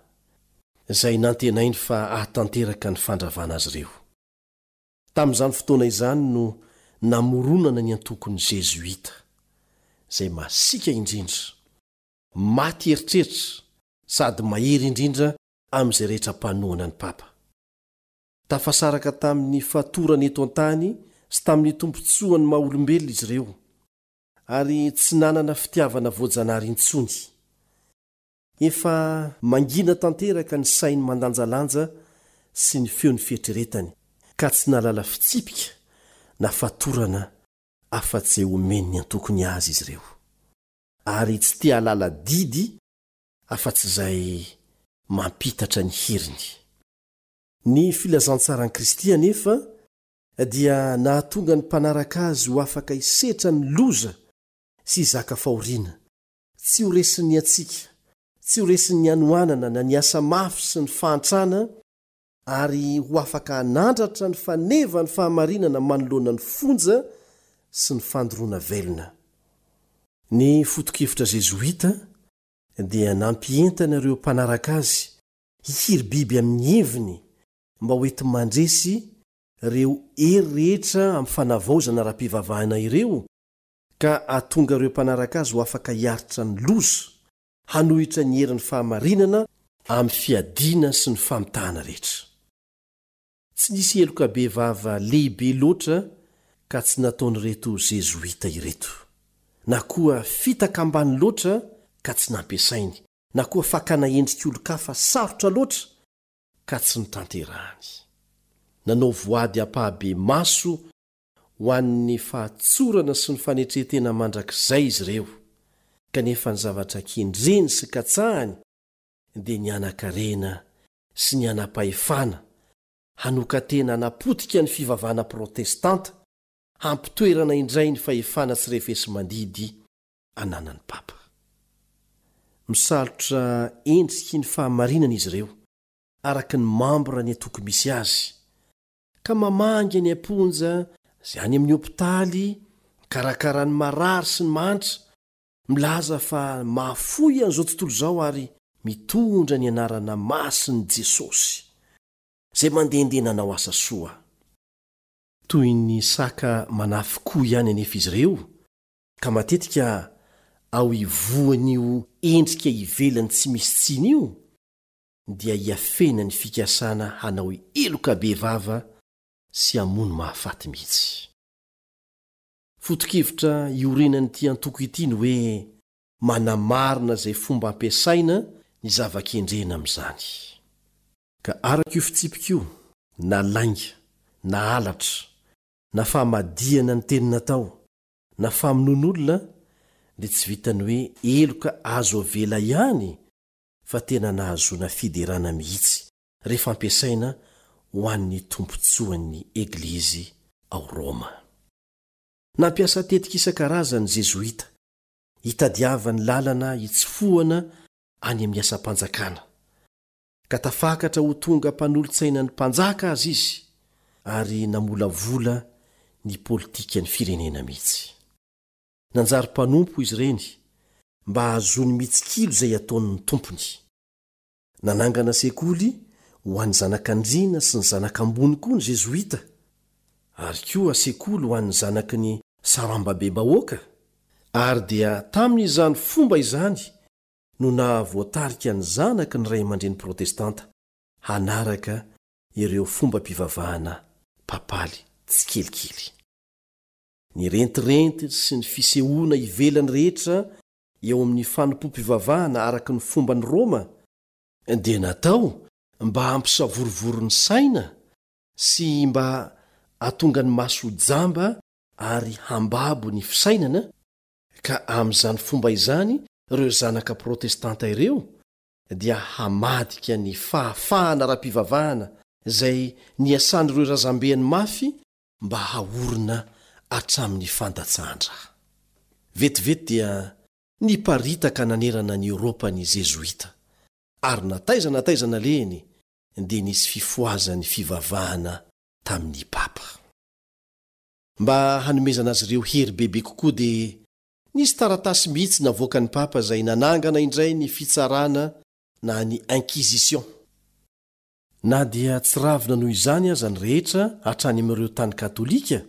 izay nantenainy fa hahatanteraka ny fandravana azy ireo. Tamin'izany fotoana izany no namoronana ny antokon'ny Zezoita, izay masiaka indrindra, maty eritreritra sady mahery indrindra amin'izay rehetra mpanohana ny papa. Tafasaraka tamin'ny fatorany eto an-tany sy tamin'ny tombontsoan'ny maha-olombelona izy ireo, ary tsy nanana fitiavana voajanahary intsony. Efa mangina tanteraka ny sainy mandanjalanja sy ny feon'ny fieritreretany, ka tsy nahalala fitsipika na fatorana afa-tsy izay omen'ny antokony azy izy ireo, ary tsy te hahalala didy afa-tsy izay mampitatra ny heriny. Ny filazantsaran'i Kristy anefa dia nahatonga ny mpanaraka azy ho afaka hisetra ny loza sy hizaka fahoriana, tsy ho resin'ny hatsiaka, tsy ho resin'ny hanoanana na ny asa mafy sy ny fahantrana, ary ho afaka hanandratra ny fanevan'ny fahamarinana manoloana ny fonja sy ny fandoroana velona. Ny foto-kevitra zezoita dia nampientana ireo mpanaraka azy hikiry biby amin'ny heviny mba ho enti-mandresy ireo hery rehetra amin'ny fanavaozana ara-pivavahana ireo, ka hahatonga ireo mpanaraka azy ho afaka hiaritra ny loza, hanohitra ny herin'ny fahamarinana amin'ny fiadiana sy ny famitahana rehetra. Tsy nisy heloka bevava lehibe loatra ka tsy nataon'ireto zezoita ireto. na koa fitaka ambany loatra ka tsy nampiasainy, na koa fakana endrik'olon-kafa sarotra loatra ka tsy notanterahany. Nanao voady ampahibemaso ho an'ny fahatsorana sy ny fanetren-tena mandrakizay izy ireo, kanefa ny zavatra kendreny sy katsahany dia ny hanan-karena sy ny hanam-pahefana, hanokan-tena hanapotika ny fivavahana protestanta, hampitoerana indray ny fahefana tsy refesi-mandidy ananan'ny Papa. Misalotra endriky ny fahamarinana izy ireo, araka ny mambra ny antoko misy azy, ka mamangy any am-ponja sy any amin'ny hopitaly, mikarakara ny marary sy ny mahantra, milaza fa mahafoy an'izao tontolo izao ary mitondra ny anarana masin'i Jesosy, izay mandehandeha nanao asa soa. Toy ny saka manafin-koho ihany anefa izy ireo, ka matetika ao ivohon'io endrika ivelany tsy misy tsiny io dia hiafena ny fikasana hanao heloka bevava sy hamono mahafaty mihitsy. Foto-kevitra iorenan'ity antoko ity ny hoe manamarina izay fomba ampiasaina ny zava-kendrena amin'izany. Ka araka io fitsipika io, na lainga, na halatra, na famadihana ny teny natao, na famonoan'olona, dia tsy vitan'ny hoe heloka azo avela ihany fa tena nahazoana fiderana mihitsy rehefa ampiasaina ho an'ny tombontsoan'ny Eglizy ao Roma. Nampiasa tetika isan-karazany ny Zezoita, hitadiavany lalana hitsofohana any amin'ny asam-panjakana, ka tafakatra ho tonga mpanolotsainan'ny mpanjaka aza izy, ary namolavola ny politikan'ny firenena mihitsy. Nanjary mpanompo izy ireny mba hahazoany mitsikilo izay ataon'ny tompony. Nanangana sekoly ho an'ny zanak'andriana sy ny zanak'ambony koa ny Zezoita, ary koa sekoly ho an'ny zanaky ny sarambabem-bahoaka, ary dia tamin'izany fomba izany no nahavoatarika ny zanaky ny ray aman-dreny protestanta hanaraka ireo fombam-pivavahana papaly tsikelikely. Ny rentirenty sy ny fisehoana ivelany rehetra eo amin'ny fanompoam-pivavahana araka ny fomban'i Roma dia natao mba hampisavorovoro ny saina sy mba hahatonga ny maso ho jamba ary hambabo ny fisainana, ka amin'izany fomba izany ireo zanaka protestanta ireo dia hamadika ny fahafahana ara-pivavahana izay niasan'ireo razambeny mafy mba haorina hatramin'ny fandatsahan-dra. Vetivety dia niparitaka nanerana an'i Eoropa ny Zezoita, ary na taiza na taiza nalehiny dia nisy fifohazan'ny fivavahana tamin'ny Papa. Mba hanomezana azy ireo hery bebe kokoa dia nisy taratasy mihitsy navoakan'ny Papa izay nanangana indray ny fitsarana na ny Inquisition. Na dia tsy ravina noho izany aza ny rehetra hatrany amin'ireo tany katolika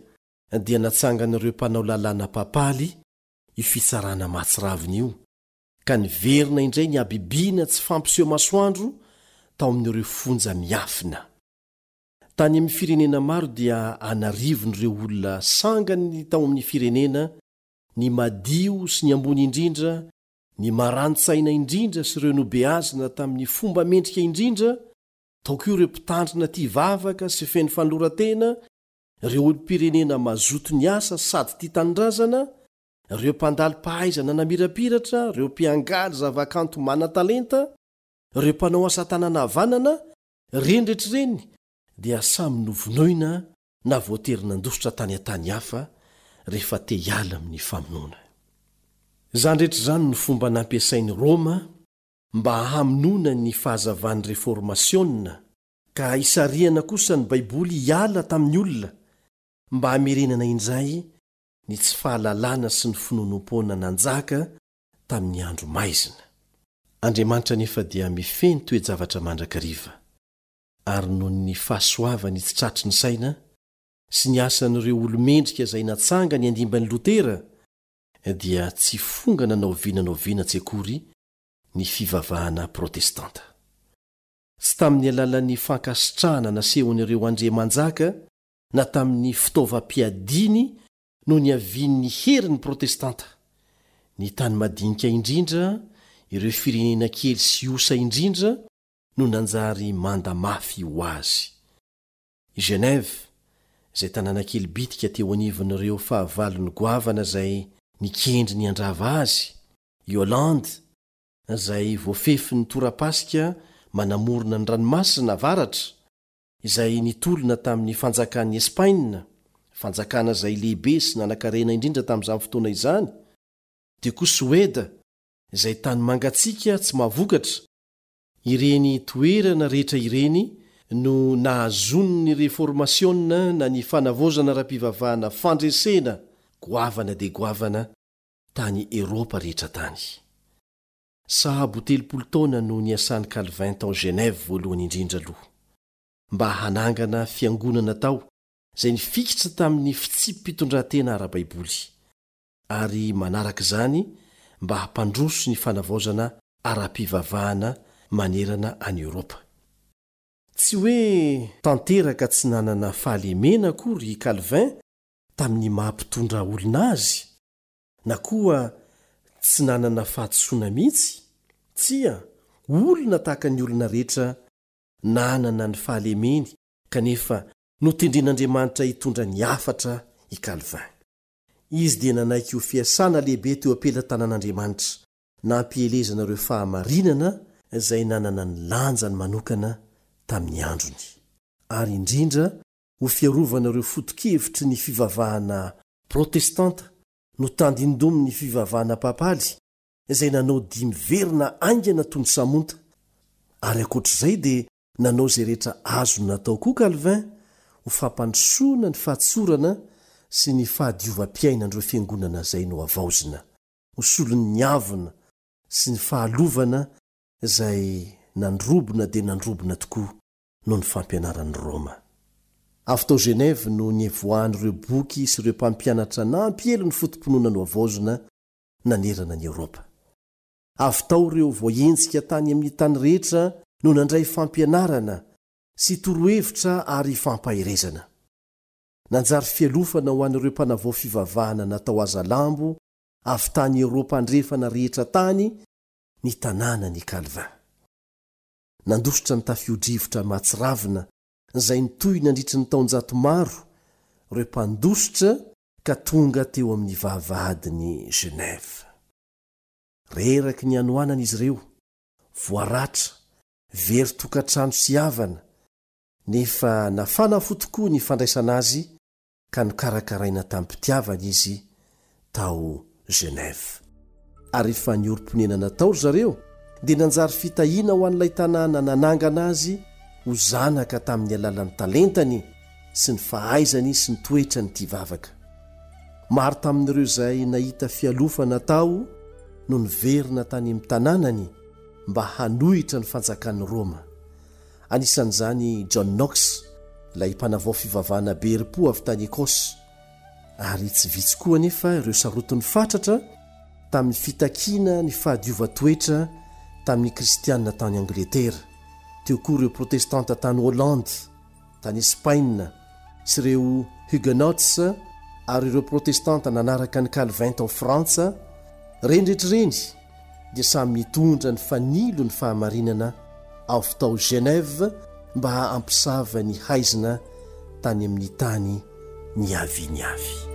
dia natsangan'ireo mpanao lalàna papaly io fitsarana mahatsiravina io, ka niverina indray ny habibiana tsy fampiseho masoandro tao amin'ireo fonja miafina. Tany amin'ny firenena maro dia an'arivony ireo olona sangany tao amin'ny firenena, ny madio sy ny ambony indrindra, ny marani-tsaina indrindra sy ireo nobeazina tamin'ny fomba mendrika indrindra, tao koa ireo mpitandrina tia vavaka sy feno fanoloran-tena, ireo olom-pirenena mazoto niasa sady tia tanindrazana, ireo mpandalo-pahaizana namirapiratra, ireo mpiangaly zavakanto manan-talenta, ireo mpanao asa tanana havanana, ireny rehetra ireny dia samy novonoina na voatery nandositra tany an-tany hafa rehefa te hiala amin'ny famonoana. Izany rehetra izany no fomba nampiasain'i Roma mba hamonoana ny fahazavan'ny Reformasiona, ka hisarihana kosa ny Baiboly hiala tamin'ny olona mba hamerenana indray ny tsy fahalalana sy ny finoanoam-poana nanjaka tamin'ny andro maizina. Andriamanitra anefa dia mifehy ny toe-javatra mandrakariva, ary noho ny fahasoavany tsy tratry ny saina sy ny asan'ireo olo-mendrika izay natsangany handimby an'i Lotera, dia tsy fongana na oviana na oviana tsy akory ny fivavahana protestanta. Tsy tamin'ny alalan'ny fankasitrahana nasehon'ireo andriamanjaka na tamin'ny fitaovam-piadiany no niavian'ny herin'ny protestanta, Ny tany madinika indrindra, ireo firenena kely sy osa indrindra no nanjary manda mafy ho azy. I Genève, izay tanàna kely bitika teo anivon'ireo fahavalony goavana izay nikendry ny handrava azy, i Hollande, izay voafefin'ny torapasika manamorona ny ranomasina avaratra, izay nitolona tamin'ny fanjakan'i Espaina, fanjakana izay lehibe sy nanankarena indrindra tamin'izany fotoana izany, dia koa Soeda, izay tany mangatsiaka tsy mahavokatra. Ireny toerana rehetra ireny no nahazoan'ny Reformasiona na ny fanavaozana ara-pivavahana fandresena goavana dia goavana tany Eropa rehetra tany. Sahabo telopolo taona no niasan'i Calvin tao Genève voalohany indrindra aloha, mba hanangana fiangonana tao izay nifikitra tamin'ny fitsipi-pitondran-tena ara-baiboly, ary manaraka izany mba hampandroso ny fanavaozana ara-pivavahana manerana an'i Eoropa. Tsy hoe tanteraka tsy nanana fahalemena akory i Calvin tamin'ny maha-mpitondra olona azy, na koa tsy nanana fahadisoana mihitsy. Tsia, olona tahaka ny olona rehetra nanana ny fahalemeny kanefa notendren'Andriamanitra hitondra ny hafatra i Calvin. Izy dia nanaiky ho fiasana lehibe teo am-pelatanan'Andriamanitra, nampielezana ireo fahamarinana izay nanana ny lanjany manokana tamin'ny androny, ary indrindra ho fiarovana ireo foto-kevitry ny fivavahana protestanta notandindomin'ny fivavahana papaly izay nanao dia miverina haingana toy ny samonta. Ary ankoatr'izay dia nanao izay rehetra azony natao koa Calvin ho fampandrosoana ny fahatsorana sy ny fahadiovam-piainan'ireo fiangonana izay nohavaozina, ho solon'ny avona sy ny fahalovana izay nandrobona dia nandrobona tokoa noho ny fampianaran'i Roma. Avy tao Genève no nivoahan'ireo boky sy ireo mpampianatra nampiely ny foto-pinoana nohavaozina nanerana ny Eoropa. Avy tao ireo voahenjika tany amin'ny tany rehetra no nandray fampianarana sy torohevitra ary fampaherezana. Nanjary fialofana ho an'ireo mpanavao fivavahana natao hazalambo avy tany Eoropa andrefana rehetra tany ny tanànan'i Calvin. Nandositra ny tafio-drivotra mahatsiravina izay nitohy nandritry ny taonjato maro ireo mpandositra ka tonga teo amin'ny vavahadin'i Genève. Reraky ny hanoanana izy ireo, voaratra, very tokantrano sy havana, nefa nafana fo tokoa ny fandraisana azy ka nokarakaraina tamim-pitiavana izy tao Genève. Ary rehefa niorim-ponenana tao ry zareo dia nanjary fitahiana ho an'ilay tanàna nanangana azy ho zanaka tamin'ny alalan'ny talentany sy ny fahaizany sy ny toetrany tia vavaka. Maro tamin'ireo izay nahita fialofana tao no niverina tany amin'ny tanànany mba hanohitra ny fanjakan'i Roma. Anisan'izany John Knox, ilay mpanavao fivavahana be herim-po avy tany Écosse. Ary tsy vitsy koa anefa ireo sarotiny fatratra tamin'ny fitakiana ny fahadiovan-toetra tamin'ny kristianina tany Angletera. Teo koa ireo protestanta tany Hollande, tany Espaina, sy ireo Huguenots ary ireo protestanta nanaraka ny Calvin tao Frantsa. Ireny rehetra ireny dia samy nitondra ny fanilo ny fahamarinana avy tao Genève mba hampisava ny haizina tany amin'ny tany niaviany avy.